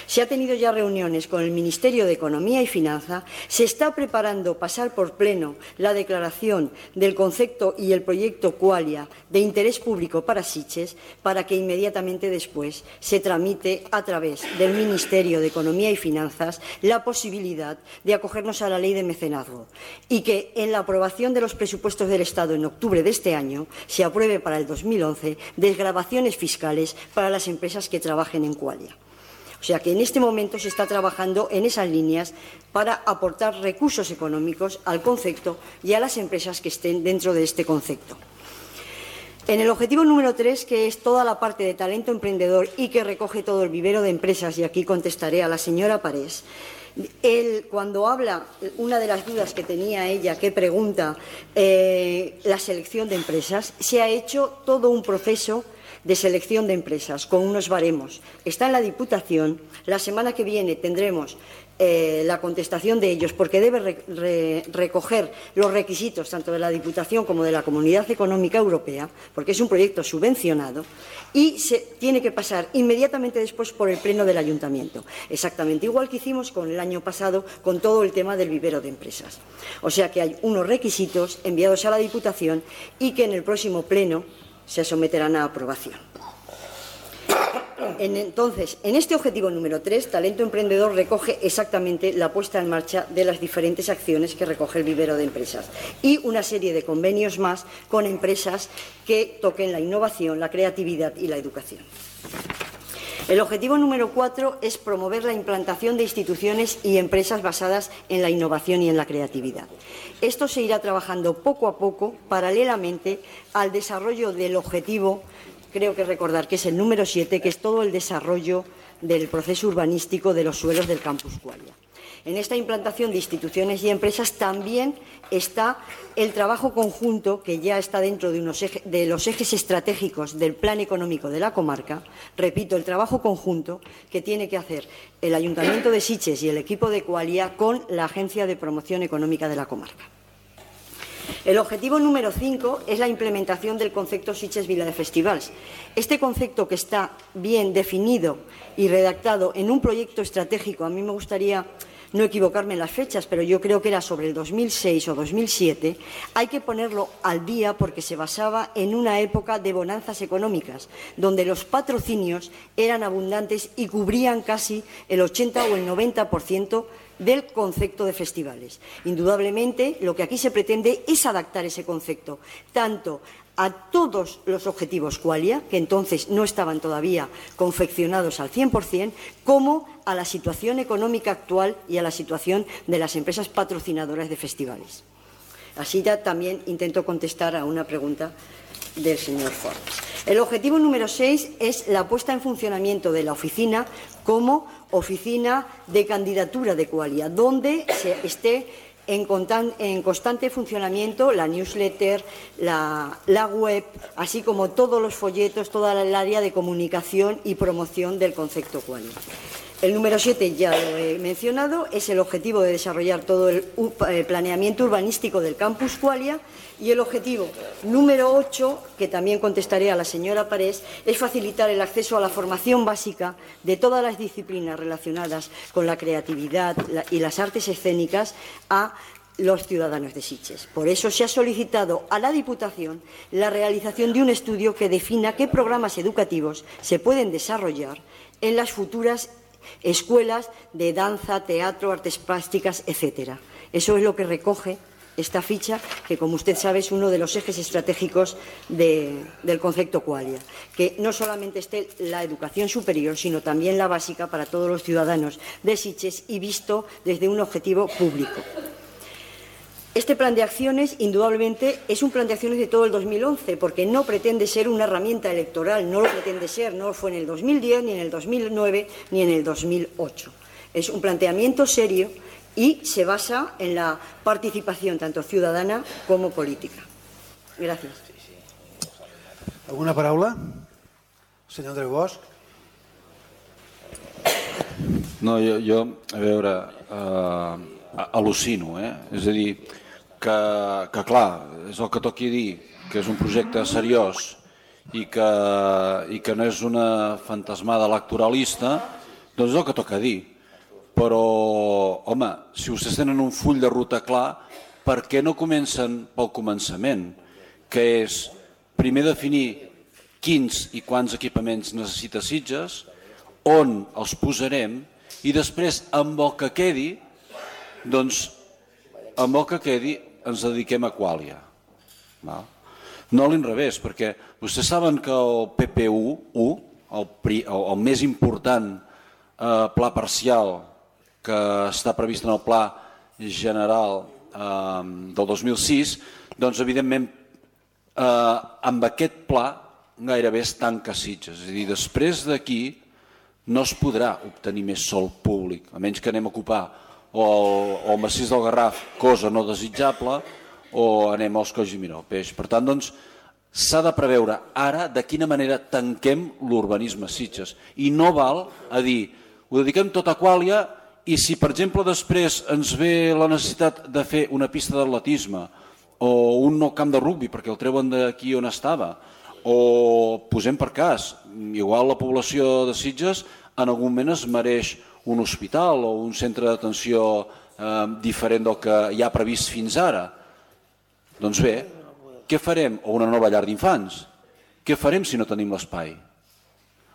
se ha tenido ya reuniones con el Ministerio de Economía y Finanza, se está preparando pasar por pleno la declaración del concepto y el proyecto Qualia de interés público para Sitges, para que inmediatamente después se tramite a través del Ministerio de Economía y Finanzas la posibilidad de acogernos a la ley de mecenazgo y que en la aprobación de los presupuestos del Estado en octubre de este año se apruebe para el dos mil once desgravaciones fiscales para las empresas que trabajen en Qualia. O sea que en este momento se está trabajando en esas líneas para aportar recursos económicos al concepto y a las empresas que estén dentro de este concepto. En el objetivo número tres, que es toda la parte de talento emprendedor y que recoge todo el vivero de empresas, y aquí contestaré a la señora Parés, Él, cuando habla, una de las dudas que tenía ella, que pregunta eh, la selección de empresas, se ha hecho todo un proceso de selección de empresas con unos baremos. Está en la Diputación. La semana que viene tendremos eh, la contestación de ellos, porque debe re, re, recoger los requisitos tanto de la Diputación como de la Comunidad Económica Europea, porque es un proyecto subvencionado, y se tiene que pasar inmediatamente después por el Pleno del Ayuntamiento, exactamente igual que hicimos con el año pasado con todo el tema del vivero de empresas. O sea que hay unos requisitos enviados a la Diputación y que en el próximo Pleno se someterán a aprobación. En, entonces, en este objetivo número tres, Talento Emprendedor recoge exactamente la puesta en marcha de las diferentes acciones que recoge el vivero de empresas y una serie de convenios más con empresas que toquen la innovación, la creatividad y la educación. El objetivo número cuatro es promover la implantación de instituciones y empresas basadas en la innovación y en la creatividad. Esto se irá trabajando poco a poco, paralelamente al desarrollo del objetivo, creo que recordar que es el número siete, que es todo el desarrollo del proceso urbanístico de los suelos del campus Qualia. En esta implantación de instituciones y empresas también está el trabajo conjunto que ya está dentro de, unos eje, de los ejes estratégicos del plan económico de la comarca. Repito, el trabajo conjunto que tiene que hacer el Ayuntamiento de Sitges y el equipo de Qualia con la Agencia de Promoción Económica de la comarca. El objetivo número cinco es la implementación del concepto Sitges Vila de Festivals. Este concepto, que está bien definido y redactado en un proyecto estratégico, a mí me gustaría no equivocarme en las fechas, pero yo creo que era sobre el dos mil seis o dos mil siete, hay que ponerlo al día porque se basaba en una época de bonanzas económicas, donde los patrocinios eran abundantes y cubrían casi el ochenta o el noventa por ciento del concepto de festivales. Indudablemente, lo que aquí se pretende es adaptar ese concepto, tanto a todos los objetivos Qualia, que entonces no estaban todavía confeccionados al cien por cien, como a la situación económica actual y a la situación de las empresas patrocinadoras de festivales. Así ya también intento contestar a una pregunta del señor Forbes. El objetivo número seis es la puesta en funcionamiento de la oficina como oficina de candidatura de Qualia, donde se esté En, en constante funcionamiento la newsletter, la, la web, así como todos los folletos, toda el área de comunicación y promoción del concepto Qualia. El número siete, ya lo he mencionado, es el objetivo de desarrollar todo el planeamiento urbanístico del campus Qualia, y el objetivo número ocho, que también contestaré a la señora Parés, es facilitar el acceso a la formación básica de todas las disciplinas relacionadas con la creatividad y las artes escénicas a los ciudadanos de Sitges. Por eso se ha solicitado a la Diputación la realización de un estudio que defina qué programas educativos se pueden desarrollar en las futuras escuelas de danza, teatro, artes plásticas, etcétera. Eso es lo que recoge esta ficha, que, como usted sabe, es uno de los ejes estratégicos de, del concepto Qualia, que no solamente esté la educación superior, sino también la básica para todos los ciudadanos de Sitges y visto desde un objetivo público. Este plan de acciones, indudablemente, es un plan de acciones de todo el dos mil once, porque no pretende ser una herramienta electoral, no lo pretende ser, no fue en el dos mil diez, ni en el dos mil nueve, ni en el dos mil ocho. Es un planteamiento serio y se basa en la participación tanto ciudadana como política. Gràcies. Alguna paraula? Senyor Andreu Bosch? No, jo, jo a veure, eh, al·lucino, eh? És a dir, que, que clar, és el que toqui dir, que és un projecte seriós i que, i que no és una fantasmada electoralista, doncs és el que toca dir. Però, home, si vostès tenen un full de ruta clar, per què no comencen pel començament? Que és primer definir quins i quants equipaments necessita Sitges, on els posarem i després, amb el que quedi, doncs, amb el que quedi ens dediquem a Quàlia. No a l'inrevés, perquè vostès saben que el P P U, el, el més important eh, pla parcial que està previst en el pla general eh, del dos mil sis, doncs evidentment eh, amb aquest pla gairebé es tanca Sitges. És a dir, després d'aquí no es podrà obtenir més sòl públic, a menys que anem a ocupar o el, o el massís del Garraf, cosa no desitjable, o anem als Colls i Miró, peix. Per tant, doncs, s'ha de preveure ara de quina manera tanquem l'urbanisme a Sitges. I no val a dir, ho dediquem tot a Quàlia i si, per exemple, després ens ve la necessitat de fer una pista d'atletisme o un nou camp de rugbi perquè el treuen d'aquí on estava, o posem per cas, igual la població de Sitges en algun moment es mereix un hospital o un centre d'atenció eh, diferent del que hi ha previst fins ara. Doncs bé, què farem? O una nova llar d'infants. Què farem si no tenim l'espai?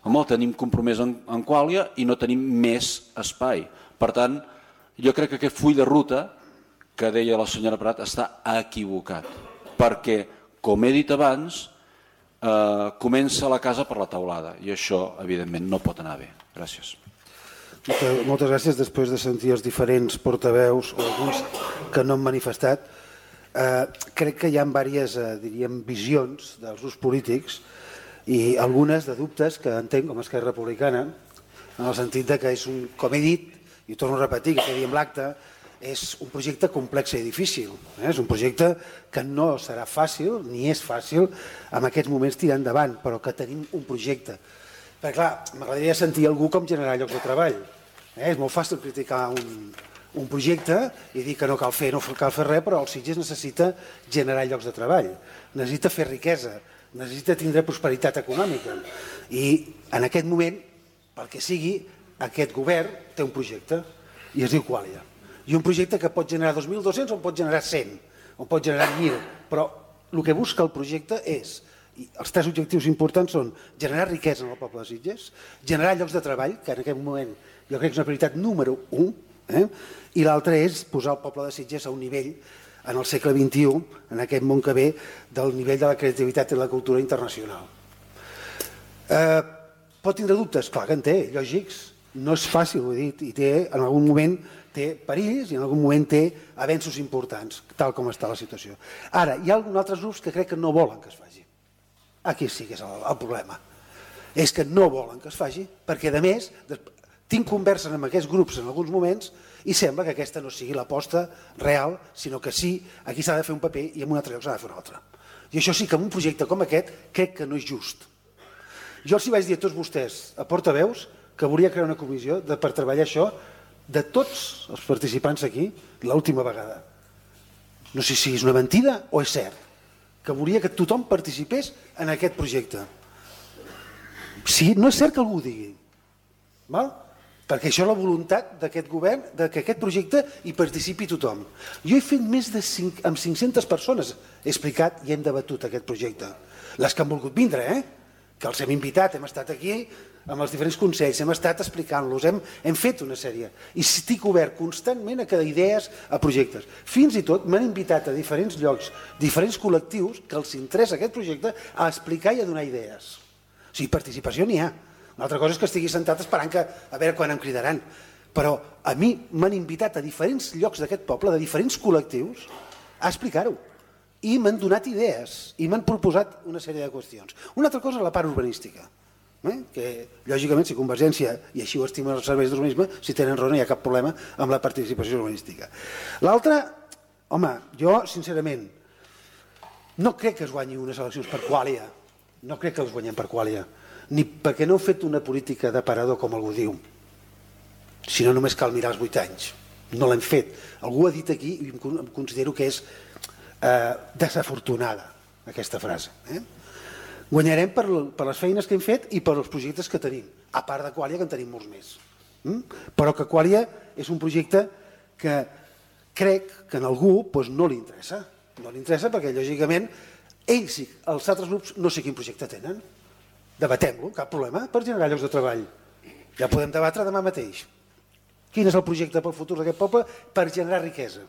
Home, el tenim compromès en, en Quàlia i no tenim més espai. Per tant, jo crec que aquest full de ruta que deia la senyora Prat està equivocat, perquè, com he dit abans, eh, comença la casa per la teulada i això, evidentment, no pot anar bé. Gràcies. Moltes, moltes gràcies. Després de sentir els diferents portaveus o alguns que no han manifestat, eh, crec que hi ha diverses, eh, diríem, visions dels grups polítics i algunes de dubtes que entenc com a Esquerra Republicana, en el sentit de que és un, com he dit, i torno a repetir, que diem l'acte, és un projecte complex i difícil. Eh? És un projecte que no serà fàcil, ni és fàcil, en aquests moments tirar endavant, però que tenim un projecte. Perquè, clar, m'agradaria sentir algú com generar llocs de treball. Eh? És molt fàcil criticar un, un projecte i dir que no cal fer, no cal fer res, però el Sitges necessita generar llocs de treball, necessita fer riquesa, necessita tindre prosperitat econòmica. I en aquest moment, pel que sigui, aquest govern té un projecte i es diu Quàlia. I un projecte que pot generar dos mil dos-cents o pot generar cent, o pot generar mil, però el que busca el projecte és, i els tres objectius importants són generar riquesa en el poble de Sitges, generar llocs de treball, que en aquest moment jo crec que és una prioritat número un, eh? I l'altre és posar el poble de Sitges a un nivell en el segle vint-i-u, en aquest món que ve, del nivell de la creativitat i la cultura internacional. Eh, pot tindre dubtes? Clar que en té, lògics. No és fàcil, ho he dit, i té, en algun moment té perills i en algun moment té avenços importants, tal com està la situació. Ara, hi ha alguns altres grups que crec que no volen que es faci. Aquí sí que és el, el problema. És que no volen que es faci, perquè, a més, tinc converses amb aquests grups en alguns moments i sembla que aquesta no sigui l'aposta real, sinó que sí, aquí s'ha de fer un paper i en un altre lloc s'ha de fer un altre. I això sí que en un projecte com aquest crec que no és just. Jo els hi vaig dir a tots vostès, a portaveus, que volia crear una comissió de, per treballar això de tots els participants aquí l'última vegada. No sé si és una mentida o és cert, que volia que tothom participés en aquest projecte. Sí, no és cert que algú ho digui, val? Perquè això és la voluntat d'aquest govern, que aquest projecte hi participi tothom. Jo he fet més de cinc, amb cinc-centes persones, he explicat i hem debatut aquest projecte. Les que han volgut vindre, eh? Que els hem invitat, hem estat aquí amb els diferents consells, hem estat explicant-los, hem, hem fet una sèrie. I estic obert constantment a cada idees, a projectes. Fins i tot m'han invitat a diferents llocs, diferents col·lectius que els interessa aquest projecte a explicar i a donar idees. O sigui, participació n'hi ha. Una altra cosa és que estigui sentat esperant que, a veure quan em cridaran. Però a mi m'han invitat a diferents llocs d'aquest poble, de diferents col·lectius, a explicar-ho. I m'han donat idees i m'han proposat una sèrie de qüestions. Una altra cosa és la part urbanística, eh? que lògicament si Convergència, i així ho estimen els serveis d'urbanisme, si tenen raó no hi ha cap problema amb la participació urbanística. L'altra, home, jo sincerament no crec que es guanyi unes eleccions per quàlia, no crec que els guanyem per quàlia, ni perquè no heu fet una política d'aparador com algú diu, sinó només cal mirar els vuit anys. No l'hem fet. Algú ha dit aquí, i em considero que és eh, desafortunada aquesta frase. Eh? Guanyarem per, per les feines que hem fet i per els projectes que tenim, a part de Quàlia, que en tenim molts més. Mm? Però que Quàlia és un projecte que crec que a algú doncs, no li interessa. No li interessa perquè, lògicament, ells i els altres grups no sé quin projecte tenen. Debatem-lo, cap problema, per generar llocs de treball. Ja podem debatre demà mateix. Quin és el projecte pel futur d'aquest poble per generar riquesa?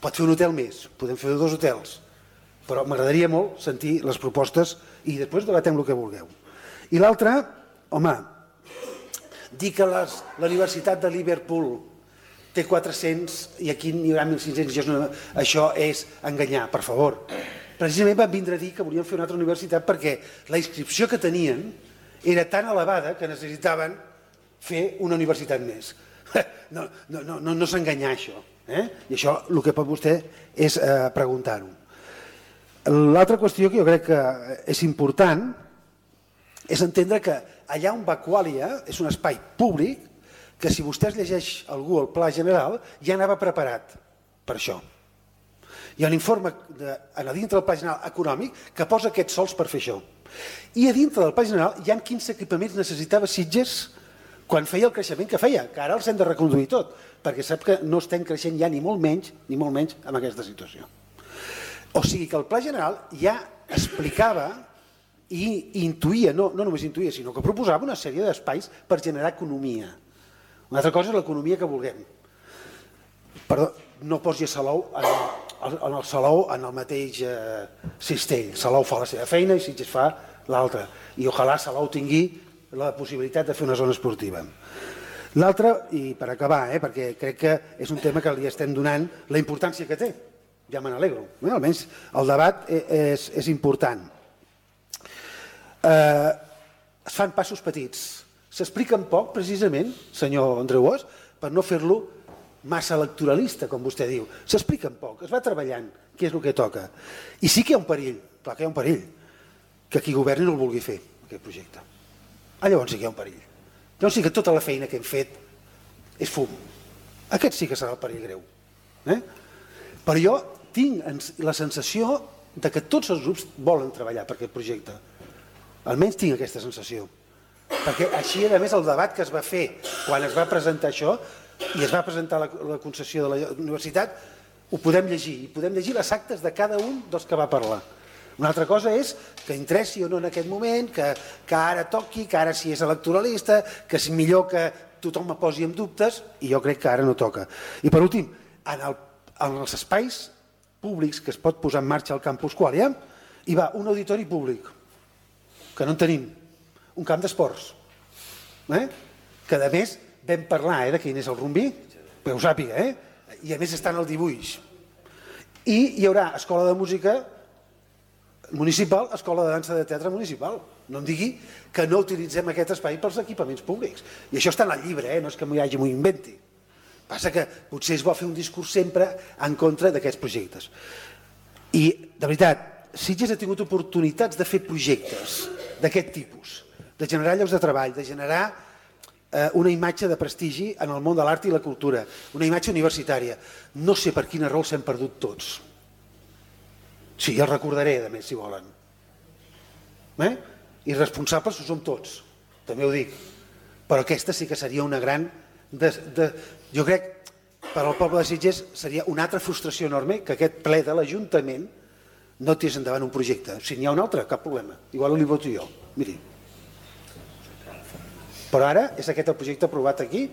Pot fer un hotel més, podem fer dos hotels, però m'agradaria molt sentir les propostes i després debatem el que vulgueu. I l'altre, home, dir que les, la Universitat de Liverpool té quatre-cents i aquí n'hi haurà mil cinc-cents, això és enganyar, per favor. Precisament van vindre a dir que volien fer una altra universitat perquè la inscripció que tenien era tan elevada que necessitaven fer una universitat més. No, no, no, no, no s'enganyar això. Eh? I això el que pot vostè és eh, preguntar-ho. L'altra qüestió que jo crec que és important és entendre que allà on va Quàlia és un espai públic que si vostè es llegeix algú el pla general ja anava preparat per això. Hi ha un informe de, a dintre del pla general econòmic que posa aquests sols per fer això. I a dintre del pla general hi ha quins equipaments necessitava Sitges quan feia el creixement que feia, que ara els hem de reconduir tot, perquè sap que no estem creixent ja ni molt menys, ni molt menys en aquesta situació. O sigui que el pla general ja explicava i intuïa, no, no només intuïa, sinó que proposava una sèrie d'espais per generar economia. Una altra cosa és l'economia que vulguem. Perdó, no posi Salou en el, en el Salou en el mateix eh, cistell. Salou fa la seva feina i Sitges fa l'altra. I ojalà Salou tingui la possibilitat de fer una zona esportiva. L'altre, i per acabar, eh, perquè crec que és un tema que li estem donant la importància que té, ja me n'alegro, eh, almenys el debat és, és important. Eh, es fan passos petits, s'expliquen poc precisament, senyor Andreu Bosch, per no fer-lo massa electoralista, com vostè diu. S'expliquen poc, es va treballant, què és el que toca. I sí que hi ha un perill, clar que hi ha un perill, que qui governi no el vulgui fer, aquest projecte. Ah, llavors sí que hi ha un perill. Llavors sí que tota la feina que hem fet és fum. Aquest sí que serà el perill greu. Eh? Però jo tinc la sensació de que tots els grups volen treballar per aquest projecte. Almenys tinc aquesta sensació. Perquè així, a més, el debat que es va fer quan es va presentar això i es va presentar la, la concessió de la universitat, ho podem llegir. I podem llegir les actes de cada un dels que va parlar. Una altra cosa és que interessi o no en aquest moment, que, que ara toqui, que ara sí és electoralista, que és millor que tothom me posi en dubtes, i jo crec que ara no toca. I per últim, en, el, en els espais públics que es pot posar en marxa al campus Quàlia, hi va un auditori públic, que no en tenim, un camp d'esports, eh? que a més vam parlar eh, de quin és el rumbí, que ho sàpiga, eh? i a més està en el dibuix. I hi haurà escola de música municipal, escola de dansa de teatre municipal. No em digui que no utilitzem aquest espai pels equipaments públics. I això està en el llibre, eh? No és que m'ho hagi m'ho inventi. Passa que potser es vol fer un discurs sempre en contra d'aquests projectes. I, de veritat, Sitges ha tingut oportunitats de fer projectes d'aquest tipus, de generar llocs de treball, de generar eh, una imatge de prestigi en el món de l'art i la cultura, una imatge universitària. No sé per quina raó s'hem perdut tots. Sí, el recordaré, a més, si volen. Eh? I responsables ho som tots, també ho dic. Però aquesta sí que seria una gran... De, de, jo crec, per al poble de Sitges, seria una altra frustració enorme que aquest ple de l'Ajuntament no tirés endavant un projecte. Si n'hi ha un altre, cap problema. Igual li voto jo. Miri. Però ara és aquest el projecte aprovat aquí,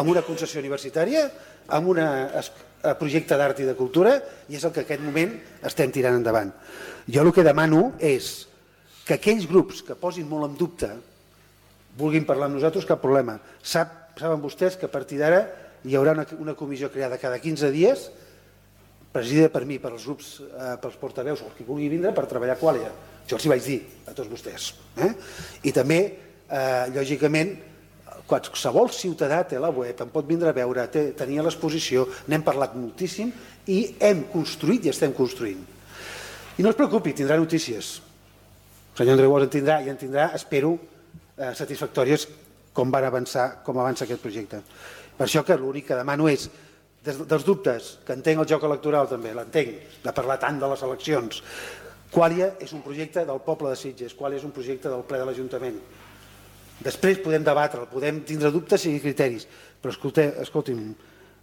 amb una concessió universitària, amb un projecte d'art i de cultura, i és el que en aquest moment estem tirant endavant. Jo el que demano és que aquells grups que posin molt en dubte vulguin parlar amb nosaltres, cap problema. Sap, saben vostès que a partir d'ara hi haurà una, una comissió creada cada quinze dies presidida per mi, per els grups, eh, pels portaveus o qui vulgui vindre per treballar Qualia. Jo els hi vaig dir a tots vostès. Eh? I també, eh, lògicament, qualsevol ciutadà té la web, em pot vindre a veure, té, tenia l'exposició, n'hem parlat moltíssim i hem construït i estem construint. I no es preocupi, tindrà notícies. El senyor Andreu Bosch en tindrà i en tindrà, espero, eh, satisfactòries com van avançar, com avança aquest projecte. Per això que l'únic que demano és, des dels dubtes, que entenc el joc electoral també, l'entenc, de parlar tant de les eleccions. Qualia és un projecte del poble de Sitges, Qualia és un projecte del ple de l'Ajuntament. Després podem debatre'l, podem tindre dubtes i criteris, però escolti'm,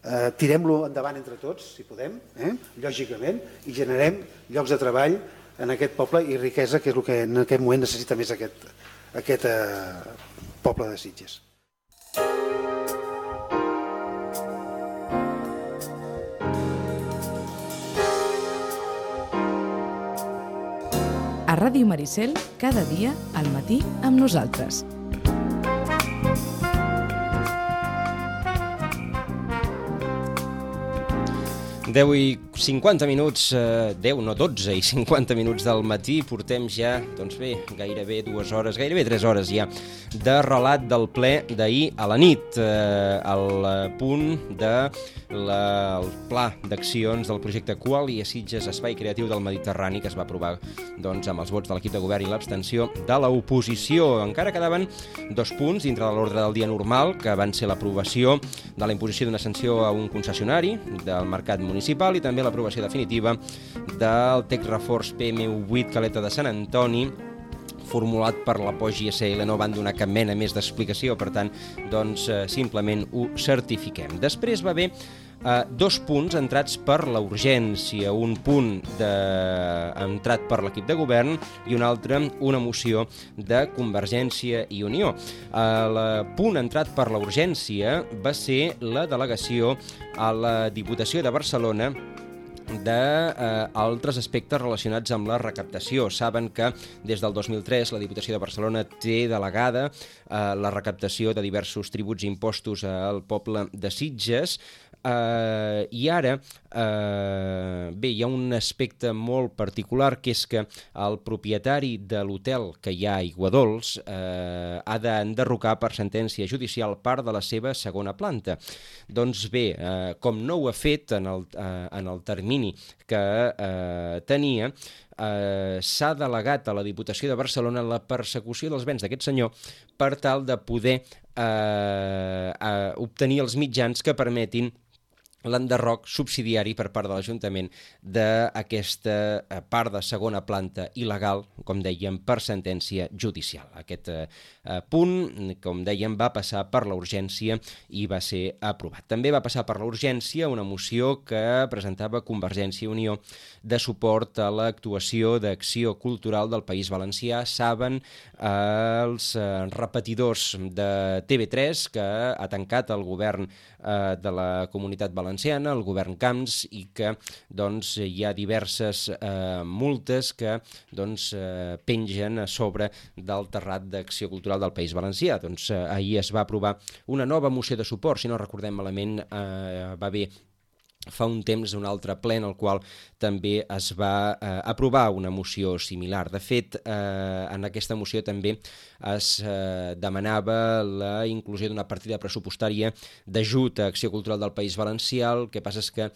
eh, tirem-lo endavant entre tots, si podem, eh, lògicament, i generem llocs de treball en aquest poble i riquesa, que és el que en aquest moment necessita més aquest, aquest eh, poble de Sitges. A Ràdio Maricel, cada dia al matí amb nosaltres. deu i cinquanta minuts, eh, deu, no dotze i cinquanta minuts del matí, portem ja, doncs bé, gairebé dues hores, gairebé tres hores ja, de relat del ple d'ahir a la nit, eh, al punt de la, el pla d'accions del projecte Qualia Sitges, Espai Creatiu del Mediterrani, que es va aprovar doncs, amb els vots de l'equip de govern i l'abstenció de l'oposició. Encara quedaven dos punts dintre de l'ordre del dia normal, que van ser l'aprovació de la imposició d'una sanció a un concessionari del mercat municipal i també l'aprovació definitiva del text reforç P M vuit Caleta de Sant Antoni, formulat per la P O G S L. No van donar cap mena més d'explicació, per tant, doncs, eh, simplement ho certifiquem. Després va haver eh, dos punts entrats per la urgència, un punt de... entrat per l'equip de govern i un altre, una moció de Convergència i Unió. El punt entrat per la urgència va ser la delegació a la Diputació de Barcelona d'altres aspectes relacionats amb la recaptació. Saben que des del dos mil tres la Diputació de Barcelona té delegada eh, la recaptació de diversos tributs i impostos al poble de Sitges. Uh, i ara uh, bé, hi ha un aspecte molt particular, que és que el propietari de l'hotel que hi ha a Aiguadols uh, ha d'enderrocar per sentència judicial part de la seva segona planta. Doncs bé, uh, com no ho ha fet en el, uh, en el termini que uh, tenia, Uh, s'ha delegat a la Diputació de Barcelona la persecució dels béns d'aquest senyor per tal de poder uh, uh, obtenir els mitjans que permetin l'enderroc subsidiari per part de l'Ajuntament d'aquesta part de segona planta il·legal, com dèiem, per sentència judicial. Aquest eh, punt, com dèiem, va passar per la urgència i va ser aprovat. També va passar per la urgència una moció que presentava Convergència i Unió de suport a l'actuació d'Acció Cultural del País Valencià. Saben eh, els eh, repetidors de T V tres que ha tancat el govern eh, de la Comunitat Valenciana, el govern Camps, i que doncs, hi ha diverses eh, multes que doncs, eh, pengen a sobre del terrat d'Acció Cultural del País Valencià. Doncs, eh, ahir es va aprovar una nova moció de suport, si no recordem malament, eh, va haver fa un temps un altre ple en el qual també es va eh, aprovar una moció similar. De fet, eh, en aquesta moció també es eh, demanava la inclusió d'una partida pressupostària d'ajut a Acció Cultural del País Valencià. El que passa és que eh,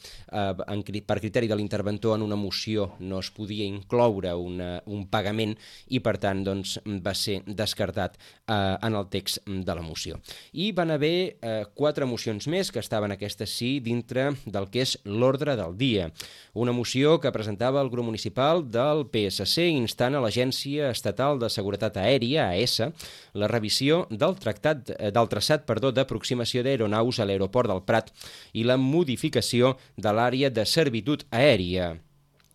en, per criteri de l'interventor en una moció no es podia incloure una, un pagament i per tant doncs, va ser descartat eh, en el text de la moció. I van haver eh, quatre mocions més que estaven aquestes sí dintre del que és l'ordre del dia. Una moció que presentava el grup municipal del P S C instant a l'Agència Estatal de Seguretat Aèria, A E S A, la revisió del, tractat, del traçat perdó, d'aproximació d'aeronaus a l'aeroport del Prat i la modificació de l'àrea de servitud aèria.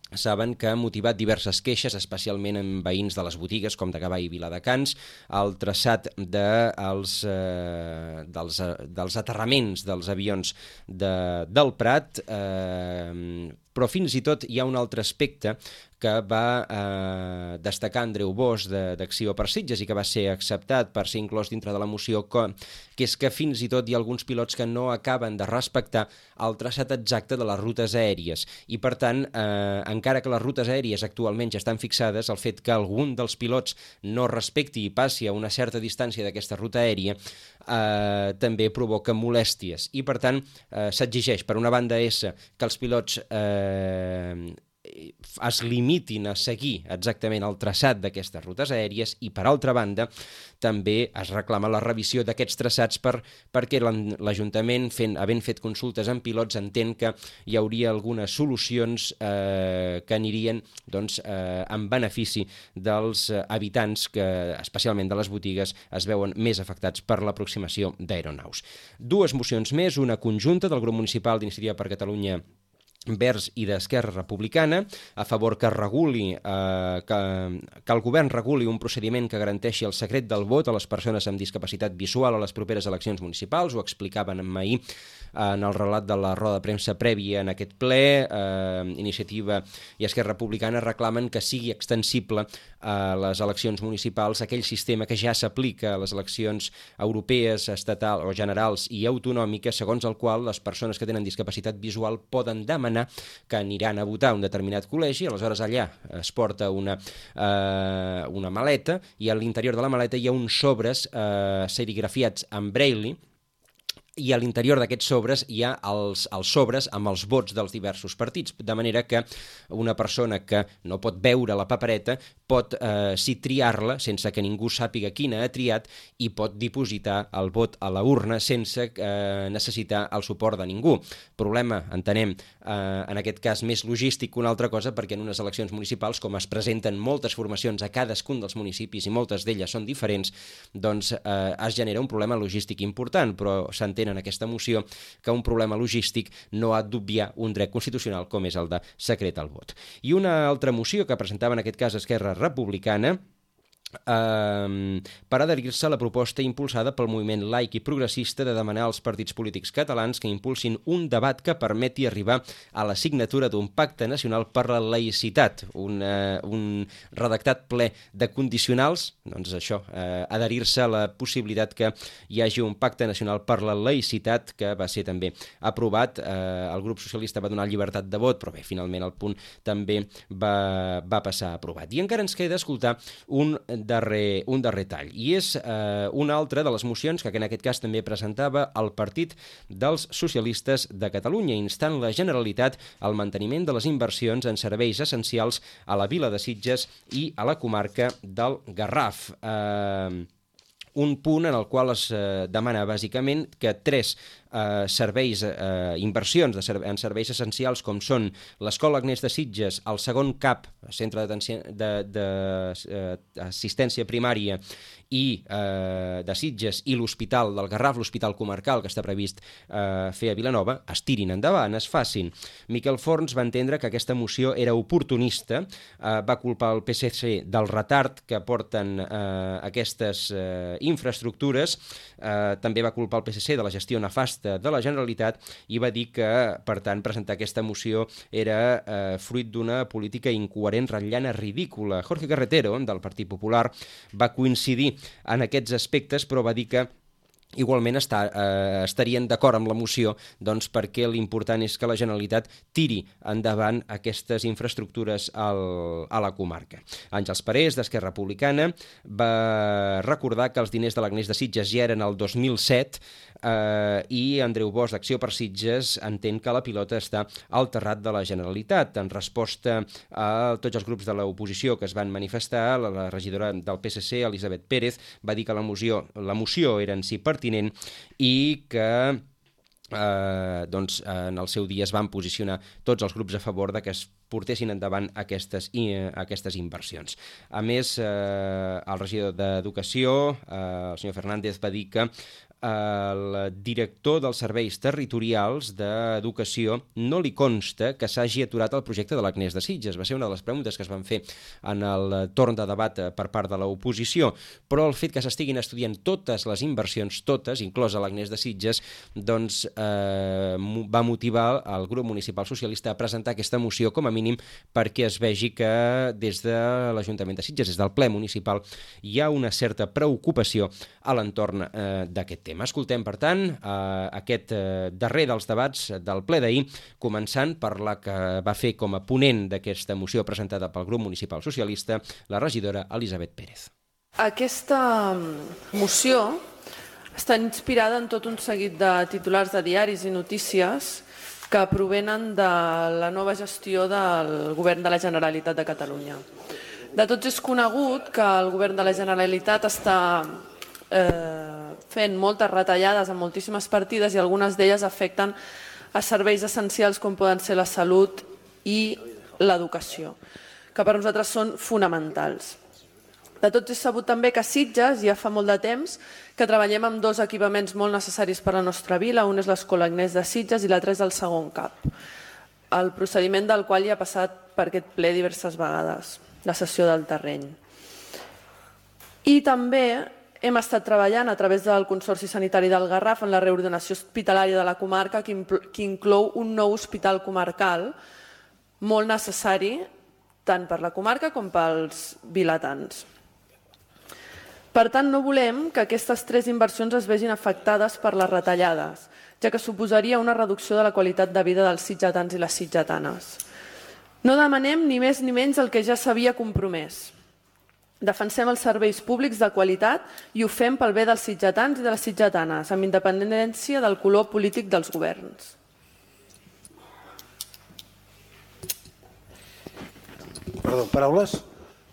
Saben que ha motivat diverses queixes, especialment en veïns de les botigues, com de Gavà i Viladecans, el traçat de, els, eh, dels, dels aterraments dels avions de, del Prat, eh, però fins i tot hi ha un altre aspecte que va eh, destacar Andreu Bosch d'Acció per Sitges i que va ser acceptat per ser inclòs dintre de la moció, que és que fins i tot hi ha alguns pilots que no acaben de respectar el traçat exacte de les rutes aèries i, per tant, eh, encara que les rutes aèries actualment ja estan fixades, el fet que algun dels pilots no respecti i passi a una certa distància d'aquesta ruta aèria eh, també provoca molèsties i, per tant, eh, s'exigeix, per una banda, essa, que els pilots eh, es limitin a seguir exactament el traçat d'aquestes rutes aèries i, per altra banda, també es reclama la revisió d'aquests traçats per, perquè l'Ajuntament, fent, havent fet consultes amb pilots, entén que hi hauria algunes solucions eh, que anirien doncs, eh, en benefici dels habitants que, especialment de les botigues, es veuen més afectats per l'aproximació d'aeronaus. Dues mocions més, una conjunta del grup municipal d'Iniciativa per Catalunya Verds i d'Esquerra Republicana, a favor que reguli, eh, que, que el govern reguli un procediment que garanteixi el secret del vot a les persones amb discapacitat visual a les properes eleccions municipals. Ho explicaven ahir en el relat de la roda de premsa prèvia en aquest ple. eh, Iniciativa i Esquerra Republicana reclamen que sigui extensible a les eleccions municipals aquell sistema que ja s'aplica a les eleccions europees, estatals o generals i autonòmiques, segons el qual les persones que tenen discapacitat visual poden demanar que aniran a votar a un determinat col·legi, aleshores allà es porta una, eh, una maleta i a l'interior de la maleta hi ha uns sobres eh, serigrafiats en braille i a l'interior d'aquests sobres hi ha els, els sobres amb els vots dels diversos partits, de manera que una persona que no pot veure la papereta pot eh, sí triar-la sense que ningú sàpiga quina ha triat i pot dipositar el vot a la urna sense eh, necessitar el suport de ningú. Problema, entenem, eh, en aquest cas més logístic que una altra cosa, perquè en unes eleccions municipals, com es presenten moltes formacions a cadascun dels municipis i moltes d'elles són diferents, doncs eh, es genera un problema logístic important, però s'entén en aquesta moció que un problema logístic no ha d'obviar un dret constitucional com és el de secret al vot. I una altra moció que presentava en aquest cas Esquerra Republicana Uh, per adherir-se a la proposta impulsada pel moviment laic i progressista de demanar als partits polítics catalans que impulsin un debat que permeti arribar a la signatura d'un pacte nacional per la laïcitat, un, uh, un redactat ple de condicionals, doncs això, uh, adherir-se a la possibilitat que hi hagi un pacte nacional per la laïcitat que va ser també aprovat. Uh, el grup socialista va donar llibertat de vot, però bé, finalment el punt també va, va passar aprovat. I encara ens queda escoltar un Darrer, un darrer tall, i és eh, una altra de les mocions que en aquest cas també presentava el Partit dels Socialistes de Catalunya, instant la Generalitat al manteniment de les inversions en serveis essencials a la vila de Sitges i a la comarca del Garraf. Eh, un punt en el qual es eh, demana bàsicament que tres eh, serveis, eh, inversions de serve en serveis essencials com són l'Escola Agnès de Sitges, el segon C A P, Centre d'Assistència Primària i eh, de Sitges, i l'Hospital del Garraf, l'Hospital Comarcal que està previst eh, fer a Vilanova, es tirin endavant, es facin. Miquel Forns va entendre que aquesta moció era oportunista, eh, va culpar el P S C del retard que porten eh, aquestes eh, infraestructures, eh, també va culpar el P S C de la gestió nefasta de la Generalitat i va dir que, per tant, presentar aquesta moció era eh, fruit d'una política incoherent, ratllana, ridícula. Jorge Carretero, del Partit Popular, va coincidir en aquests aspectes, però va dir que igualment està, eh, estarien d'acord amb la moció, doncs perquè l'important és que la Generalitat tiri endavant aquestes infraestructures al, a la comarca. Àngels Parés, d'Esquerra Republicana, va recordar que els diners de l'Agnès de Sitges ja eren el dos mil set eh, i Andreu Bosch, d'Acció per Sitges, entén que la pilota està al terrat de la Generalitat. En resposta a tots els grups de l'oposició que es van manifestar, la, la regidora del P S C, Elisabet Pérez, va dir que la moció, la moció era en si pertinent i que eh, doncs, en el seu dia es van posicionar tots els grups a favor de que es portessin endavant aquestes, eh, aquestes inversions. A més, eh, el regidor d'Educació, eh, el senyor Fernández, va dir que al director dels serveis territorials d'Educació no li consta que s'hagi aturat el projecte de l'Agnès de Sitges. Va ser una de les preguntes que es van fer en el torn de debat per part de l'oposició, però el fet que s'estiguin estudiant totes les inversions, totes, inclosa l'Agnès de Sitges, doncs eh, va motivar el grup municipal socialista a presentar aquesta moció com a mínim perquè es vegi que des de l'Ajuntament de Sitges, des del ple municipal, hi ha una certa preocupació a l'entorn eh, d'aquest tema. Escoltem, per tant, eh, aquest eh, darrer dels debats del ple d'ahir, començant per la que va fer com a ponent d'aquesta moció presentada pel grup municipal socialista la regidora Elisabet Pérez. Aquesta moció està inspirada en tot un seguit de titulars de diaris i notícies que provenen de la nova gestió del Govern de la Generalitat de Catalunya. De tots és conegut que el Govern de la Generalitat està eh, fent moltes retallades en moltíssimes partides i algunes d'elles afecten a serveis essencials com poden ser la salut i l'educació, que per nosaltres són fonamentals. De tots és sabut també que a Sitges ja fa molt de temps que treballem amb dos equipaments molt necessaris per a la nostra vila. Un és l'Escola Agnès de Sitges i l'altre és el segon CAP, el procediment del qual ja ha passat per aquest ple diverses vegades, la cessió del terreny. I també hem estat treballant a través del Consorci Sanitari del Garraf en la reordenació hospitalària de la comarca que inclou un nou hospital comarcal molt necessari tant per la comarca com pels vilatans. Per tant, no volem que aquestes tres inversions es vegin afectades per les retallades, ja que suposaria una reducció de la qualitat de vida dels sitgetans i les sitgetanes. No demanem ni més ni menys el que ja s'havia compromès. Defensem els serveis públics de qualitat i ho fem pel bé dels sitgetans i de les sitgetanes, amb independència del color polític dels governs. Perdó, paraules?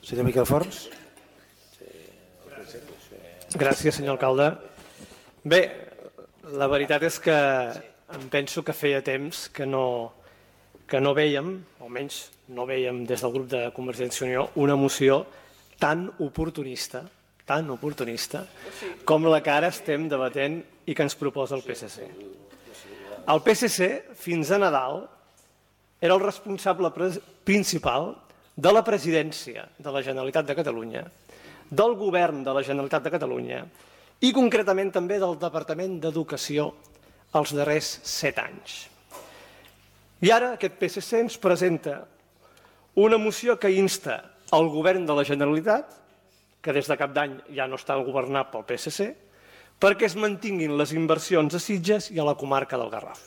Senyor Miquel Forns. Gràcies, senyor alcalde. Bé, la veritat és que em penso que feia temps que no, que no vèiem, almenys no vèiem des del grup de Convergència i Unió, una moció tan oportunista, tan oportunista, com la que ara estem debatent i que ens proposa el P S C. El P S C, fins a Nadal, era el responsable principal de la presidència de la Generalitat de Catalunya, del govern de la Generalitat de Catalunya i concretament també del Departament d'Educació els darrers set anys. I ara aquest P S C ens presenta una moció que insta el govern de la Generalitat, que des de cap d'any ja no està governat pel P S C, perquè es mantinguin les inversions a Sitges i a la comarca del Garraf.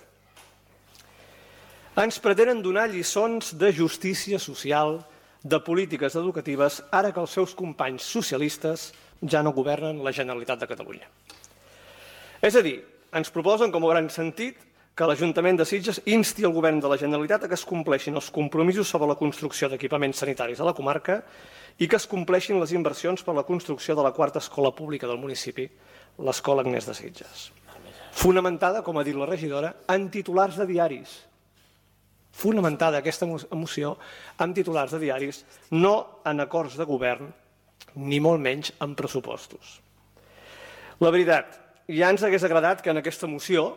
Ens pretenen donar lliçons de justícia social, de polítiques educatives, ara que els seus companys socialistes ja no governen la Generalitat de Catalunya. És a dir, ens proposen, com hauran sentit, que l'Ajuntament de Sitges insti el govern de la Generalitat a que es compleixin els compromisos sobre la construcció d'equipaments sanitaris a la comarca i que es compleixin les inversions per a la construcció de la quarta escola pública del municipi, l'Escola Agnès de Sitges. Fonamentada, com ha dit la regidora, en titulars de diaris. Fonamentada aquesta moció amb titulars de diaris, no en acords de govern, ni molt menys en pressupostos. La veritat, ja ens hagués agradat que en aquesta moció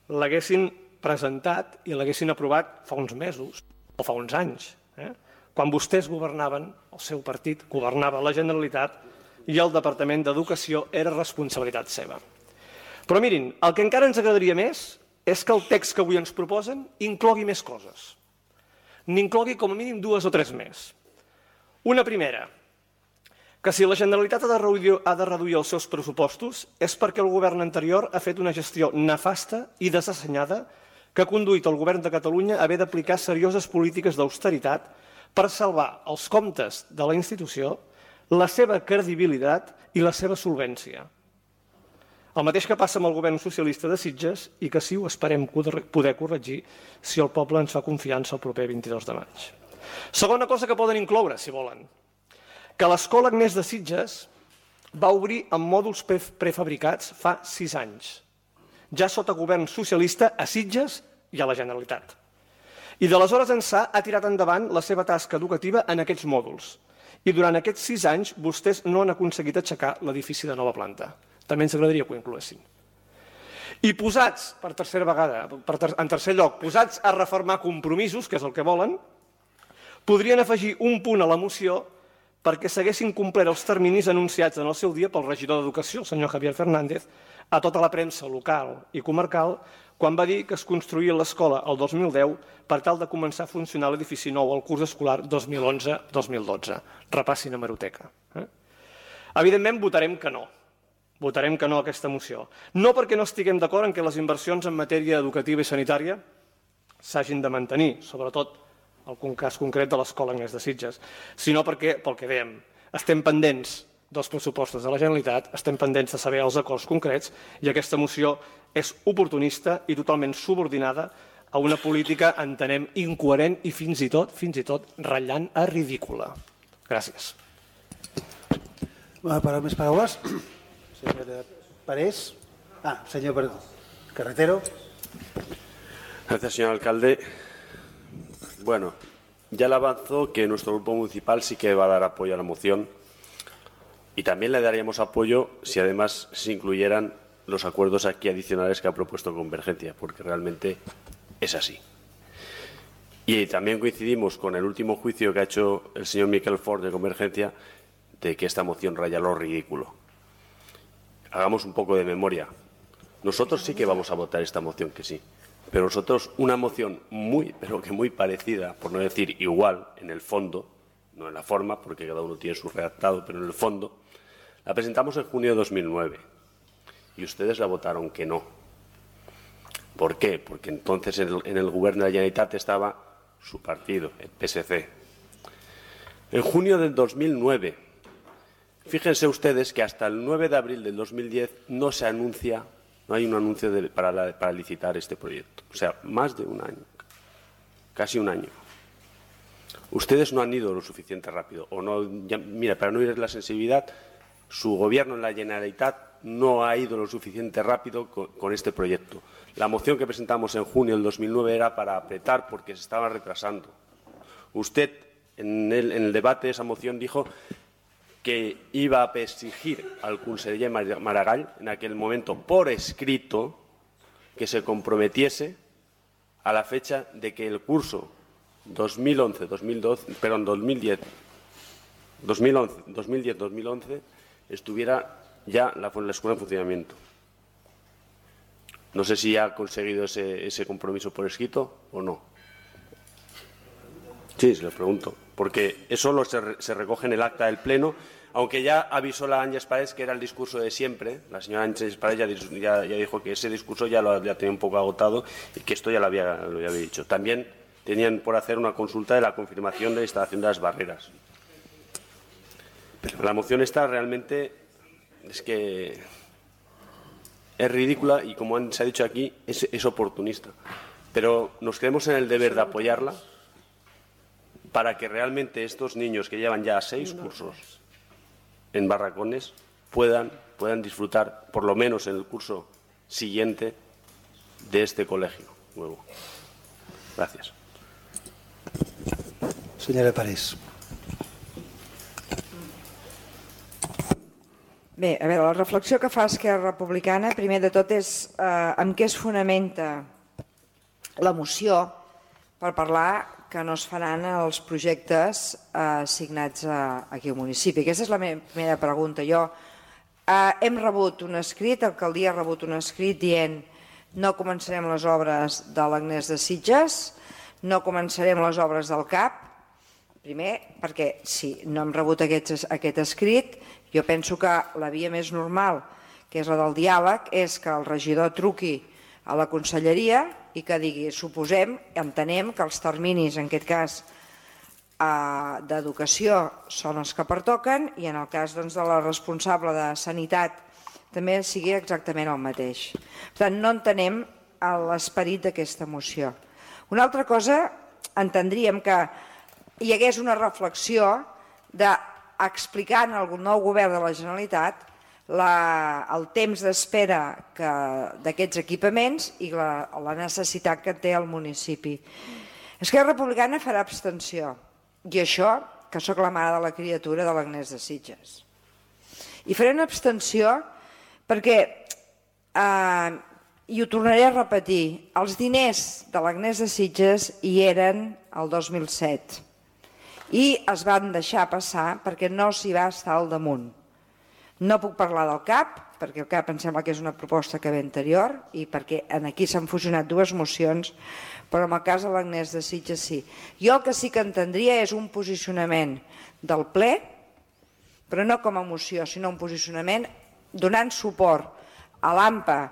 l'haguessin presentat i l'haguessin aprovat fa uns mesos o fa uns anys, eh? Quan vostès governaven, el seu partit governava la Generalitat i el Departament d'Educació era responsabilitat seva. Però mirin, el que encara ens agradaria més és que el text que avui ens proposen inclogui més coses. N'inclogui com a mínim dues o tres més. Una primera, que si la Generalitat ha de reduir, ha de reduir els seus pressupostos és perquè el govern anterior ha fet una gestió nefasta i desassenyada que ha conduït el govern de Catalunya a haver d'aplicar serioses polítiques d'austeritat per salvar els comptes de la institució, la seva credibilitat i la seva solvència. El mateix que passa amb el govern socialista de Sitges i que sí ho esperem poder corregir si el poble ens fa confiança el proper vint-i-dos de maig. Segona cosa que poden incloure, si volen, que l'Escola Agnès de Sitges va obrir amb mòduls prefabricats fa sis anys, ja sota govern socialista a Sitges i a la Generalitat. I d'aleshores ençà ha tirat endavant la seva tasca educativa en aquests mòduls. I durant aquests sis anys vostès no han aconseguit aixecar l'edifici de nova planta. També ens agradaria que ho incloessin. I posats, per tercera vegada, per ter en tercer lloc, posats a reformar compromisos, que és el que volen, podrien afegir un punt a la moció perquè s'haguessin complert els terminis anunciats en el seu dia pel regidor d'Educació, el senyor Javier Fernández, a tota la premsa local i comarcal, quan va dir que es construïa l'escola el dos mil deu per tal de començar a funcionar l'edifici nou al curs escolar dos mil onze dos mil dotze. Repassin a hemeroteca. Eh? Evidentment, votarem que no. Votarem que no a aquesta moció. No perquè no estiguem d'acord en que les inversions en matèria educativa i sanitària s'hagin de mantenir, sobretot el cas concret de l'Escola Agnès de Sitges, sinó perquè, pel que dèiem, estem pendents dels pressupostos de la Generalitat, estem pendents de saber els acords concrets i aquesta moció és oportunista i totalment subordinada a una política, entenem, incoherent i fins i tot, fins i tot, ratllant a ridícula. Gràcies. Per més paraules. Señora Parés. Ah, señor Carretero. Gracias, señor alcalde. Bueno, ya le avanzó que nuestro grupo municipal sí que va a dar apoyo a la moción y también le daríamos apoyo si además se incluyeran los acuerdos aquí adicionales que ha propuesto Convergencia, porque realmente es así. Y también coincidimos con el último juicio que ha hecho el señor Miquel Fort de Convergencia de que esta moción raya lo ridículo. Hagamos un poco de memoria. Nosotros sí que vamos a votar esta moción que sí, pero nosotros una moción muy, pero que muy parecida, por no decir igual, en el fondo, no en la forma, porque cada uno tiene su redactado, pero en el fondo, la presentamos en junio de dos mil nueve y ustedes la votaron que no. ¿Por qué? Porque entonces en el, en el gobierno de la Generalitat estaba su partido, el P S C. En junio del dos mil nueve, fíjense ustedes que hasta el nueve de abril del dos mil diez no se anuncia, no hay un anuncio de, para, la, para licitar este proyecto. O sea, más de un año, casi un año. Ustedes no han ido lo suficiente rápido. O no, ya, mira, para no ir la sensibilidad, su gobierno en la Generalitat no ha ido lo suficiente rápido con, con este proyecto. La moción que presentamos en junio del dos mil nueve era para apretar porque se estaba retrasando. Usted, en el, en el debate de esa moción, dijo que iba a exigir al conseller Maragall, en aquel momento por escrito, que se comprometiese a la fecha de que el curso dos mil once dos mil doce, perdón, dos mil diez dos mil once dos mil diez dos mil once estuviera ya la, la escuela en funcionamiento. No sé si ha conseguido ese, ese compromiso por escrito o no. Sí, se lo pregunto, porque eso lo se, se recoge en el acta del Pleno, aunque ya avisó la Ángeles Paredes que era el discurso de siempre. La señora Ángeles Paredes ya, ya, ya dijo que ese discurso ya lo había tenido un poco agotado y que esto ya lo había, lo había dicho. También tenían por hacer una consulta de la confirmación de la instalación de las barreras. Pero la moción esta realmente es que es ridícula y, como se ha dicho aquí, es, es oportunista. Pero nos creemos en el deber de apoyarla para que realmente estos niños que llevan ya seis cursos en Barracones puedan, puedan disfrutar, por lo menos en el curso siguiente, de este colegio nuevo. Gracias. Senyora Parés. Bé, a veure, la reflexió que fa Esquerra Republicana, primer de tot, és eh, amb què es fonamenta la moció per parlar que no es faran els projectes eh, assignats a, aquí al municipi. Aquesta és la meva primera pregunta. Jo eh, hem rebut un escrit, l'alcaldia ha rebut un escrit dient no començarem les obres de l'Agnès de Sitges, no començarem les obres del C A P. Primer, perquè si no hem rebut aquest, aquest escrit, jo penso que la via més normal, que és la del diàleg, és que el regidor truqui a la conselleria i que digui, suposem, entenem que els terminis, en aquest cas, eh, d'educació són els que pertoquen i en el cas doncs, de la responsable de sanitat també sigui exactament el mateix. Per tant, no entenem l'esperit d'aquesta moció. Una altra cosa, entendríem que hi hagués una reflexió d'explicar al nou govern de la Generalitat la, el temps d'espera d'aquests equipaments i la, la necessitat que té el municipi. Esquerra Republicana farà abstenció, i això que sóc la mare de la criatura de l'Agnès de Sitges. I faré una abstenció perquè, eh, i ho tornaré a repetir, els diners de l'Agnès de Sitges hi eren el dos mil set i es van deixar passar perquè no s'hi va estar al damunt. No puc parlar del C A P, perquè el C A P em sembla que és una proposta que ve anterior i perquè aquí s'han fusionat dues mocions, però en el cas de l'Agnès de Sitges sí. Jo el que sí que entendria és un posicionament del ple, però no com a moció, sinó un posicionament donant suport a l'A M P A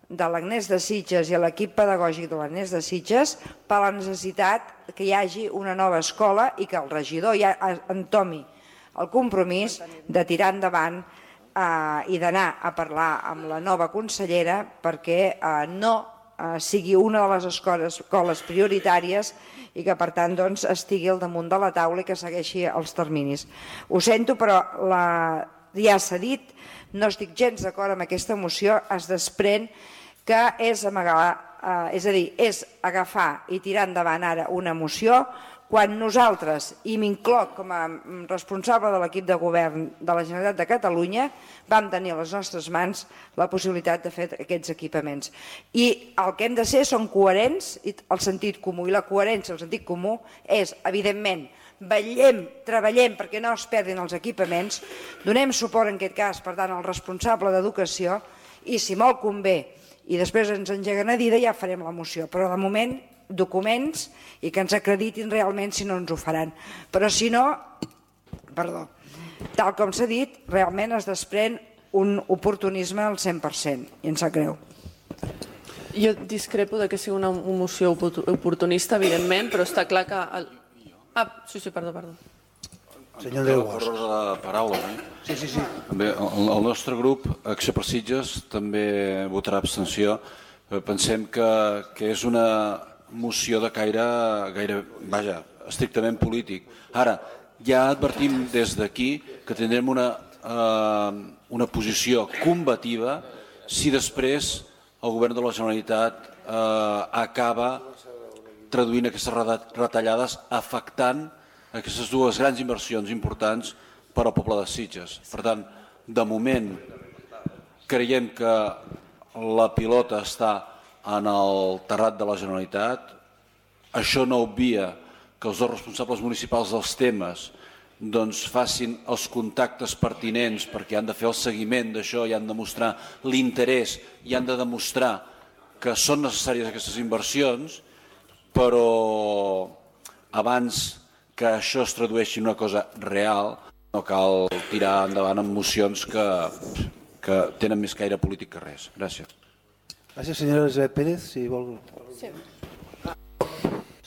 de l'Agnès de Sitges i a l'equip pedagògic de l'Agnès de Sitges per la necessitat que hi hagi una nova escola i que el regidor ja entomi el compromís de tirar endavant i d'anar a parlar amb la nova consellera perquè no sigui una de les escoles prioritàries i que per tant estigui al damunt de la taula i que segueixi els terminis. Ho sento, però ja s'ha dit, no estic gens d'acord amb aquesta moció, es desprèn que és amagar, és a dir, és agafar i tirar endavant ara una moció quan nosaltres, i m'incloc com a responsable de l'equip de govern de la Generalitat de Catalunya, vam tenir a les nostres mans la possibilitat de fer aquests equipaments. I el que hem de ser són coherents, el sentit comú, i la coherència, el sentit comú, és, evidentment, vetllem, treballem perquè no es perdin els equipaments, donem suport en aquest cas, per tant, al responsable d'educació, i si molt convé, i després ens engeguen a dida, ja farem la moció. Però de moment, documents i que ens acreditin realment si no ens ho faran. Però si no, perdó, tal com s'ha dit, realment es desprèn un oportunisme al cent per cent i em sap greu. Jo discrepo de que sigui una moció oportunista, evidentment, però està clar que... Ah, sí, sí, perdó, perdó. Senyor Andreu Bosch. De paraules, eh? Sí, sí, sí. Bé, el, el nostre grup, Acció per Sitges, també votarà abstenció. Pensem que, que és una moció de caire, gaire, vaja, estrictament polític. Ara, ja advertim des d'aquí que tindrem una, eh, una posició combativa si després el govern de la Generalitat eh, acaba traduint aquestes retallades afectant aquestes dues grans inversions importants per al poble de Sitges. Per tant, de moment, creiem que la pilota està en el terrat de la Generalitat. Això no obvia que els dos responsables municipals dels temes doncs, facin els contactes pertinents perquè han de fer el seguiment d'això i han de mostrar l'interès i han de demostrar que són necessàries aquestes inversions, però abans que això es tradueixi en una cosa real, no cal tirar endavant amb mocions que, que tenen més caire polític que res. Gràcies. Gràcies, senyora Elisabet Pérez. Si vol... Sí.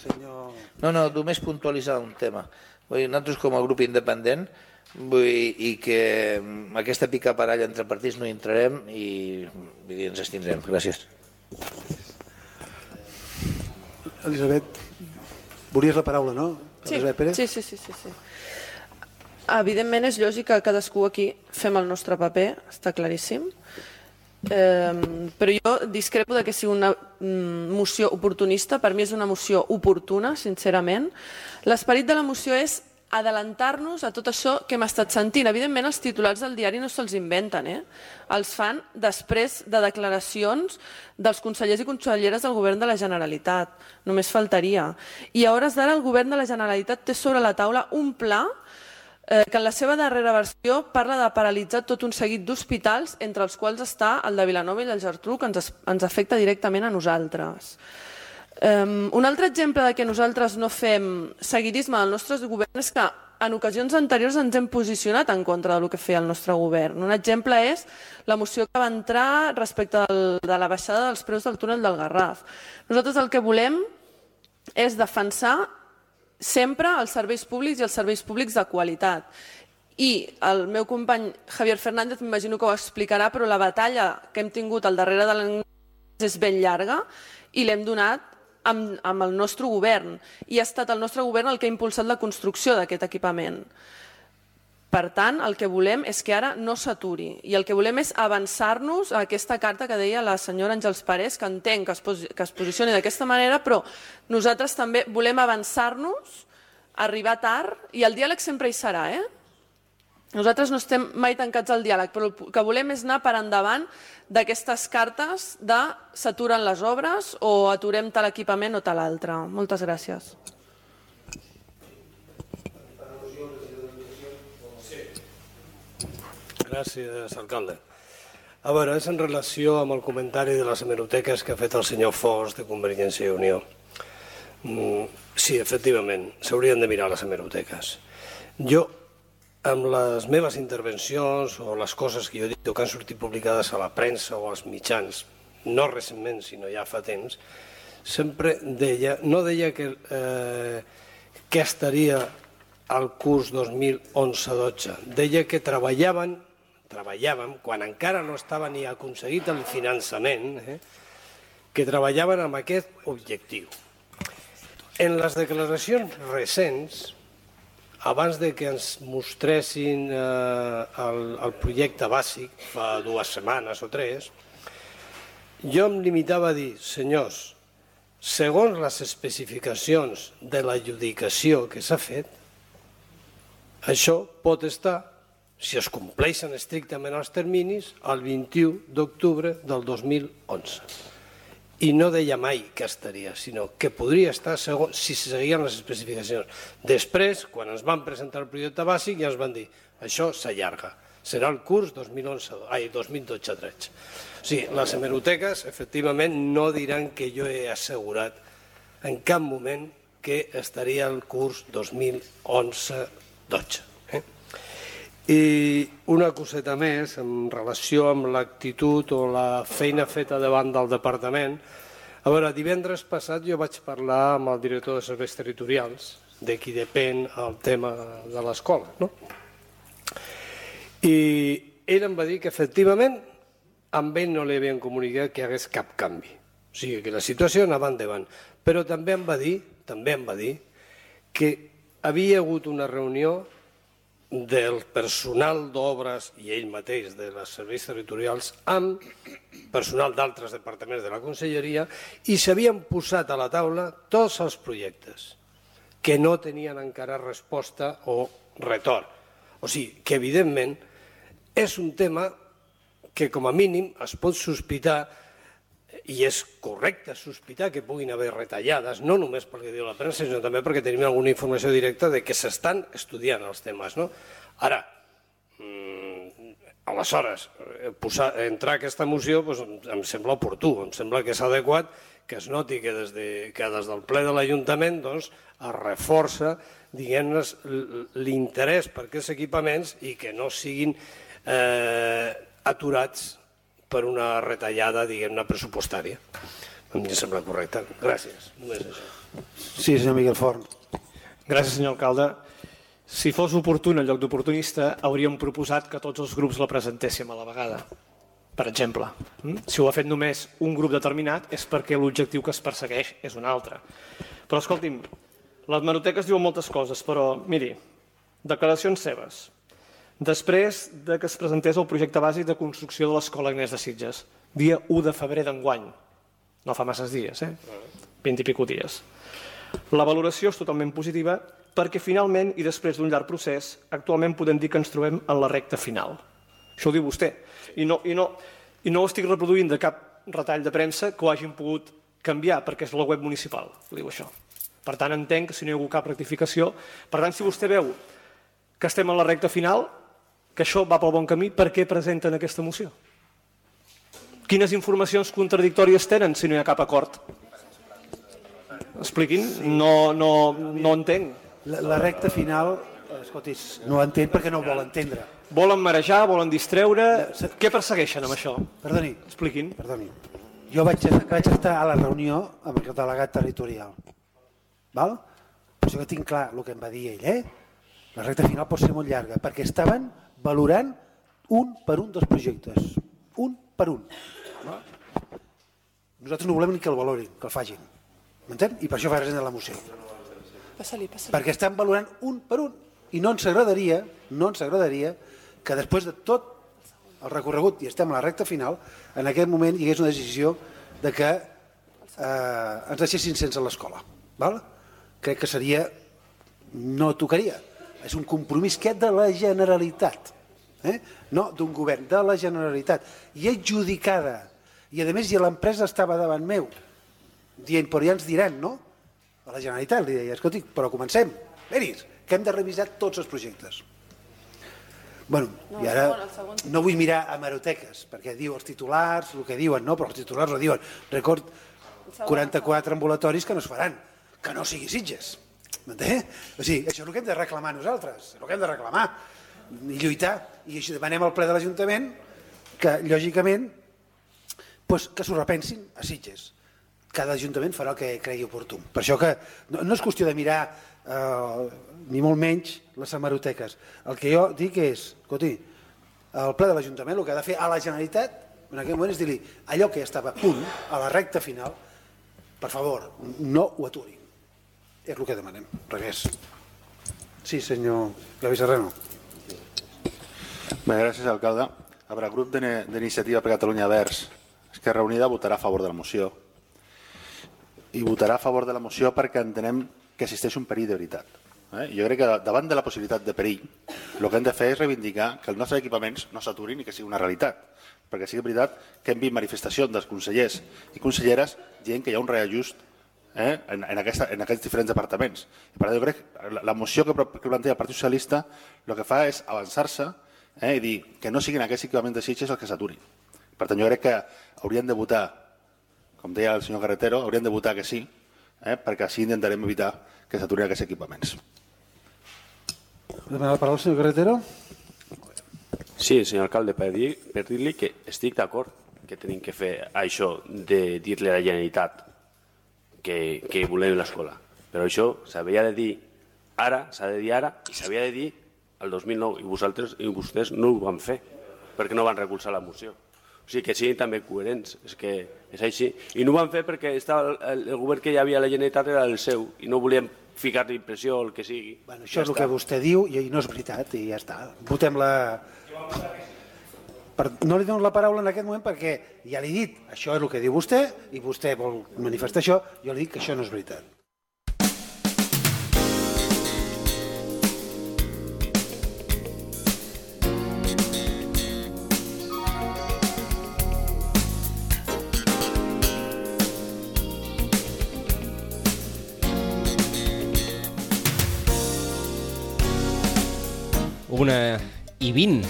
Senyor... No, no, només puntualitzar un tema. Vull dir, nosaltres com a grup independent vull dir, i que aquesta picaparalla entre partits no hi entrarem i vull dir, ens estindrem. Gràcies. Elisabet, volies la paraula, no? Sí, sí, sí, sí, sí, sí. Evidentment és lògic que cadascú aquí fem el nostre paper, està claríssim, eh, però jo discrepo de que sigui una moció oportunista. Per mi és una moció oportuna, sincerament. L'esperit de la moció és adelantar-nos a tot això que hem estat sentint. Evidentment els titulars del diari no se'ls inventen, eh? Els fan després de declaracions dels consellers i conselleres del govern de la Generalitat. Només faltaria. I a hores d'ara el govern de la Generalitat té sobre la taula un pla eh, que en la seva darrera versió parla de paralitzar tot un seguit d'hospitals, entre els quals està el de Vilanova i el Geltrú, que ens, ens afecta directament a nosaltres. Um, un altre exemple de que nosaltres no fem seguidisme del nostre govern és que en ocasions anteriors ens hem posicionat en contra del que feia el nostre govern. Un exemple és la moció que va entrar respecte del, de la baixada dels preus del túnel del Garraf. Nosaltres el que volem és defensar sempre els serveis públics i els serveis públics de qualitat. I el meu company Javier Fernández m'imagino que ho explicarà, però la batalla que hem tingut al darrere de l'Agnès és ben llarga i l'hem donat Amb, amb el nostre govern, i ha estat el nostre govern el que ha impulsat la construcció d'aquest equipament. Per tant, el que volem és que ara no s'aturi, i el que volem és avançar-nos a aquesta carta que deia la senyora Àngels Parés, que entenc que es, posi, que es posicioni d'aquesta manera, però nosaltres també volem avançar-nos, arribar tard, i el diàleg sempre hi serà, eh? Nosaltres no estem mai tancats al diàleg, però el que volem és anar per endavant d'aquestes cartes de s'aturen les obres o aturem tal equipament o tal altre. Moltes gràcies. Gràcies, alcalde. A veure, és en relació amb el comentari de les hemeroteques que ha fet el senyor Fos de Convergència i Unió. Sí, efectivament, s'haurien de mirar les hemeroteques. Jo, amb les meves intervencions o les coses que jo he dit o que han sortit publicades a la premsa o als mitjans, no recentment, sinó ja fa temps, sempre deia, no deia que, eh, que estaria al curs dos mil onze dotze, deia que treballaven treballàvem, quan encara no estava ni aconseguit el finançament, eh, que treballaven amb aquest objectiu. En les declaracions recents, abans de que ens mostressin eh, el, el projecte bàsic, fa dues setmanes o tres, jo em limitava a dir, senyors, segons les especificacions de l'adjudicació que s'ha fet, això pot estar, si es compleixen estrictament els terminis, el vint-i-u d'octubre del dos mil onze. I no deia mai que estaria, sinó que podria estar segons, si seguien les especificacions. Després, quan ens van presentar el projecte bàsic, ja ens van dir això s'allarga, serà el curs dos mil dotze tretze. O sigui, les hemeroteques, efectivament, no diran que jo he assegurat en cap moment que estaria el curs dos mil onze dotze. I una coseta més en relació amb l'actitud o la feina feta davant del departament. A veure, divendres passat jo vaig parlar amb el director de serveis territorials, de qui depèn el tema de l'escola, no? I ell em va dir que efectivament amb ell no li havien comunicat que hi hagués cap canvi. O sigui, que la situació anava endavant. Però també em va dir, també em va dir que havia hagut una reunió del personal d'obres i ell mateix de les serveis territorials amb personal d'altres departaments de la conselleria i s'havien posat a la taula tots els projectes que no tenien encara resposta o retorn. O sigui, que evidentment és un tema que com a mínim es pot sospitar i és correcte sospitar que puguin haver retallades, no només pel que diu la premsa, sinó també perquè tenim alguna informació directa de que s'estan estudiant els temes. No? Ara, mmm, aleshores, posar, entrar a aquesta moció doncs, em sembla oportú, em sembla que és adequat que es noti que des, de, que des del ple de l'Ajuntament doncs, es reforça l'interès per aquests equipaments i que no siguin eh, aturats per una retallada, diguem-ne, pressupostària. Em sembla correcte. Gràcies. Només això. Sí, senyor Miquel Forn. Gràcies, senyor alcalde. Si fos oportú en lloc d'oportunista, hauríem proposat que tots els grups la presentéssim a la vegada, per exemple. Si ho ha fet només un grup determinat és perquè l'objectiu que es persegueix és un altre. Però, escolti'm, les hemeroteques diuen moltes coses, però, miri, declaracions seves. Després de que es presentés el projecte bàsic de construcció de l'Escola Agnès de Sitges, dia u de febrer d'enguany, no fa masses dies, eh? vint i pico dies. La valoració és totalment positiva perquè finalment, i després d'un llarg procés, actualment podem dir que ens trobem en la recta final. Això ho diu vostè. I no, i no, i no ho estic reproduint de cap retall de premsa que ho hagin pogut canviar, perquè és la web municipal, diu això. Per tant, entenc que si no hi ha hagut cap rectificació. Per tant, si vostè veu que estem en la recta final, que això va pel bon camí, per què presenten aquesta moció? Quines informacions contradictòries tenen si no hi ha cap acord? Expliquin, no, no, no entenc. La, la recta final, escolti, no entenc perquè no ho vol entendre. Volen marejar, volen distreure... Què persegueixen amb això? Perdoni. Expliquin. Perdoni. Jo vaig, vaig estar a la reunió amb el delegat territorial. Val? Per això que tinc clar el que em va dir ell, eh? La recta final pot ser molt llarga, perquè estaven valorant un per un dels projectes. Un per un. Nosaltres no volem ni que el valorin, que el facin. M'entén? I per això fa present la moció. Passa-li, passa-li. Perquè estan valorant un per un. I no ens agradaria, no ens agradaria que després de tot el recorregut, i estem a la recta final, en aquest moment hi hagués una decisió de que eh, ens deixessin sense l'escola. Val? Crec que seria... no tocaria. és un compromís que és de la Generalitat, eh? No d'un govern, de la Generalitat, i adjudicada, i a més ja l'empresa estava davant meu, dient, però ja ens diran, no? A la Generalitat li deia, escolti, però comencem, venis, que hem de revisar tots els projectes. Bueno, no, i ara no vull mirar hemeroteques, perquè diu els titulars, el que diuen, no? Però els titulars ho diuen. Record quaranta-quatre ambulatoris que no es faran, que no sigui Sitges. M'entén? O sigui, això és el que hem de reclamar nosaltres, és el que hem de reclamar i lluitar. I així demanem al ple de l'Ajuntament que, lògicament, pues, que s'ho repensin a Sitges. Cada Ajuntament farà el que cregui oportú. Per això que no, no és qüestió de mirar eh, ni molt menys les hemeroteques. El que jo dic és, escolti, el ple de l'Ajuntament el que ha de fer a la Generalitat en aquell moment és dir-li allò que ja estava a punt, a la recta final, per favor, no ho aturi. És el que demanem, res. Sí, senyor Gavi Serrano. Bé, gràcies, alcalde. A veure, el grup d'Iniciativa per Catalunya Verds, Esquerra Unida, votarà a favor de la moció. I votarà a favor de la moció perquè entenem que existeix un perill de veritat. Eh? Jo crec que davant de la possibilitat de perill, el que hem de fer és reivindicar que els nostres equipaments no s'aturin i que sigui una realitat. Perquè sigui veritat que hem vist manifestacions dels consellers i conselleres dient que hi ha un reajust eh, en, en, aquesta, en aquests diferents departaments. I per tant, jo crec que la, la moció que, que planteja el Partit Socialista el que fa és avançar-se eh, i dir que no siguin aquests equipaments de Sitges els que s'aturin. Per tant, jo crec que haurien de votar, com deia el senyor Carretero, haurien de votar que sí, eh, perquè així intentarem evitar que s'aturin aquests equipaments. Demana la paraula el senyor Carretero. Sí, senyor alcalde, per dir, per dir-li que estic d'acord que tenim que fer això de dir-li a la Generalitat que, que volem l'escola. Però això s'havia de dir ara, s'ha de dir ara, i s'havia de dir el dos mil nou, i vosaltres i vostès no ho van fer, perquè no van recolzar la moció. O sigui, que siguin també coherents, és que és així. I no ho van fer perquè estava el, el govern que hi havia a la Generalitat era el seu, i no volíem ficar-li impressió o el que sigui. Bueno, això ja és el està. Que vostè diu, i no és veritat, i ja està. Votem la... Per... No li dono la paraula en aquest moment perquè ja li he dit, això és el que diu vostè, i vostè vol manifestar això, jo li dic que això no és veritat. Una i vint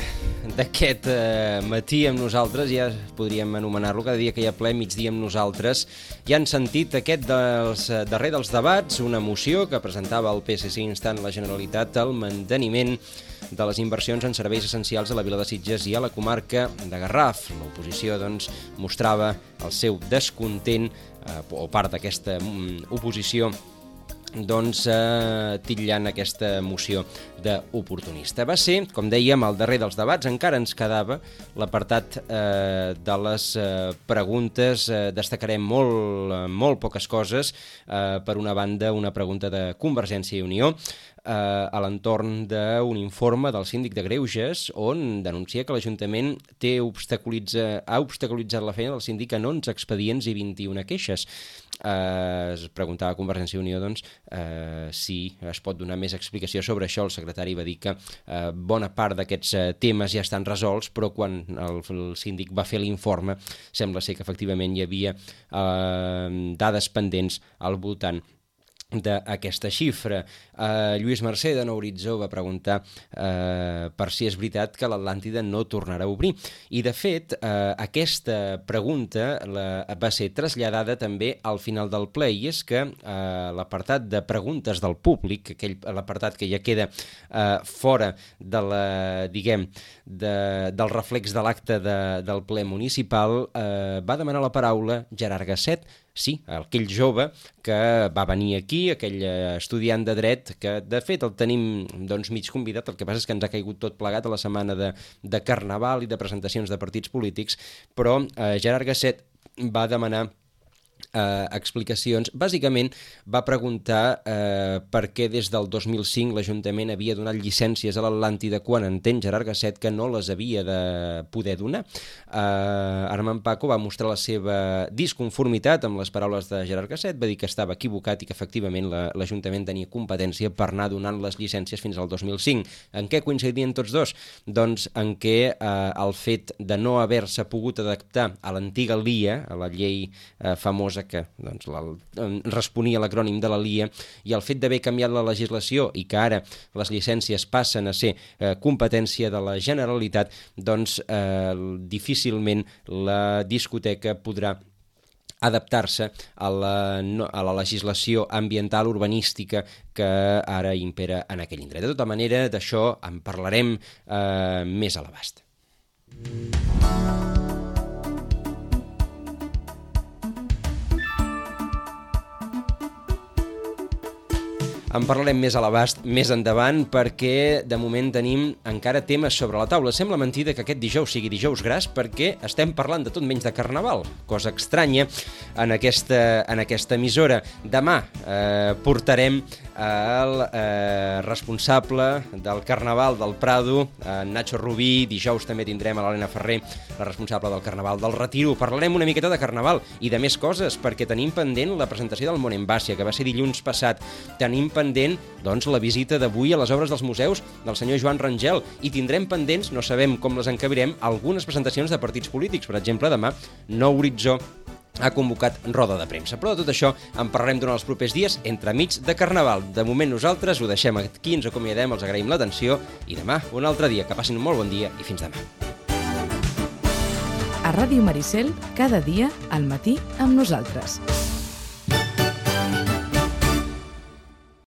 d'aquest eh, matí amb nosaltres, ja podríem anomenar-lo, cada dia que hi ha ple, migdia amb nosaltres. Ja han sentit aquest dels, darrer dels debats, una moció que presentava el P S C instant la Generalitat al manteniment de les inversions en serveis essencials a la vila de Sitges i a la comarca de Garraf. L'oposició doncs, mostrava el seu descontent, eh, o part d'aquesta mm, oposició, doncs eh, titllant aquesta moció d'oportunista. Va ser, com dèiem, el darrer dels debats. Encara ens quedava l'apartat eh, de les eh, preguntes. Eh, destacarem molt, eh, molt poques coses. Eh, per una banda, una pregunta de Convergència i Unió eh, a l'entorn d'un informe del síndic de Greuges on denuncia que l'Ajuntament té obstaculitza, ha obstaculitzat la feina del síndic en onze expedients i vint-i-una queixes. Eh, es preguntava a Convergència i Unió doncs, eh, si es pot donar més explicació sobre això. El secretari va dir que eh, bona part d'aquests eh, temes ja estan resolts, però quan el, el síndic va fer l'informe sembla ser que efectivament hi havia eh, dades pendents al voltant d'aquesta xifra. Uh, Lluís Mercè de Nou Horitzó va preguntar uh, per si és veritat que l'Atlàntida no tornarà a obrir. I de fet, uh, aquesta pregunta la, va ser traslladada també al final del ple, i és que uh, l'apartat de preguntes del públic, aquell l'apartat que ja queda uh, fora de la, diguem, de, del reflex de l'acte de, del ple municipal, uh, va demanar la paraula Gerard Gasset. Sí, aquell jove que va venir aquí, aquell estudiant de dret, que de fet el tenim doncs, mig convidat, el que passa és que ens ha caigut tot plegat a la setmana de, de Carnaval i de presentacions de partits polítics, però eh, Gerard Gasset va demanar eh, explicacions. Bàsicament va preguntar eh, per què des del dos mil cinc l'Ajuntament havia donat llicències a l'Atlàntida quan entén Gerard Gasset que no les havia de poder donar. Eh, Armand Paco va mostrar la seva disconformitat amb les paraules de Gerard Gasset, va dir que estava equivocat i que efectivament l'Ajuntament tenia competència per anar donant les llicències fins al dos mil cinc. En què coincidien tots dos? Doncs en què eh, el fet de no haver-se pogut adaptar a l'antiga L I A, a la llei eh, famosa que doncs, la, responia a l'acrònim de la L I A, i el fet d'haver canviat la legislació i que ara les llicències passen a ser eh, competència de la Generalitat, doncs eh, difícilment la discoteca podrà adaptar-se a la, a la legislació ambiental urbanística que ara impera en aquell indret. De tota manera, d'això en parlarem eh, més a l'abast. En parlarem més a l'abast més endavant perquè de moment tenim encara temes sobre la taula. Sembla mentida que aquest dijous sigui dijous gras perquè estem parlant de tot menys de Carnaval, cosa estranya en aquesta, en aquesta emissora. Demà eh, portarem el eh, responsable del Carnaval del Prado, en Nacho Rubí. Dijous també tindrem a l'Helena Ferrer, la responsable del Carnaval del Retiro. Parlarem una miqueta de Carnaval i de més coses perquè tenim pendent la presentació del Món en Bàssia, que va ser dilluns passat. Tenim pendent doncs, la visita d'avui a les obres dels museus del senyor Joan Rangel i tindrem pendents, no sabem com les encabirem, algunes presentacions de partits polítics. Per exemple, demà Nou Horitzó ha convocat roda de premsa. Però de tot això en parlarem durant els propers dies entremig de Carnaval. De moment nosaltres ho deixem aquí, ens acomiadem, els agraïm l'atenció i demà un altre dia. Que passin un molt bon dia i fins demà. A Ràdio Maricel, cada dia al matí amb nosaltres.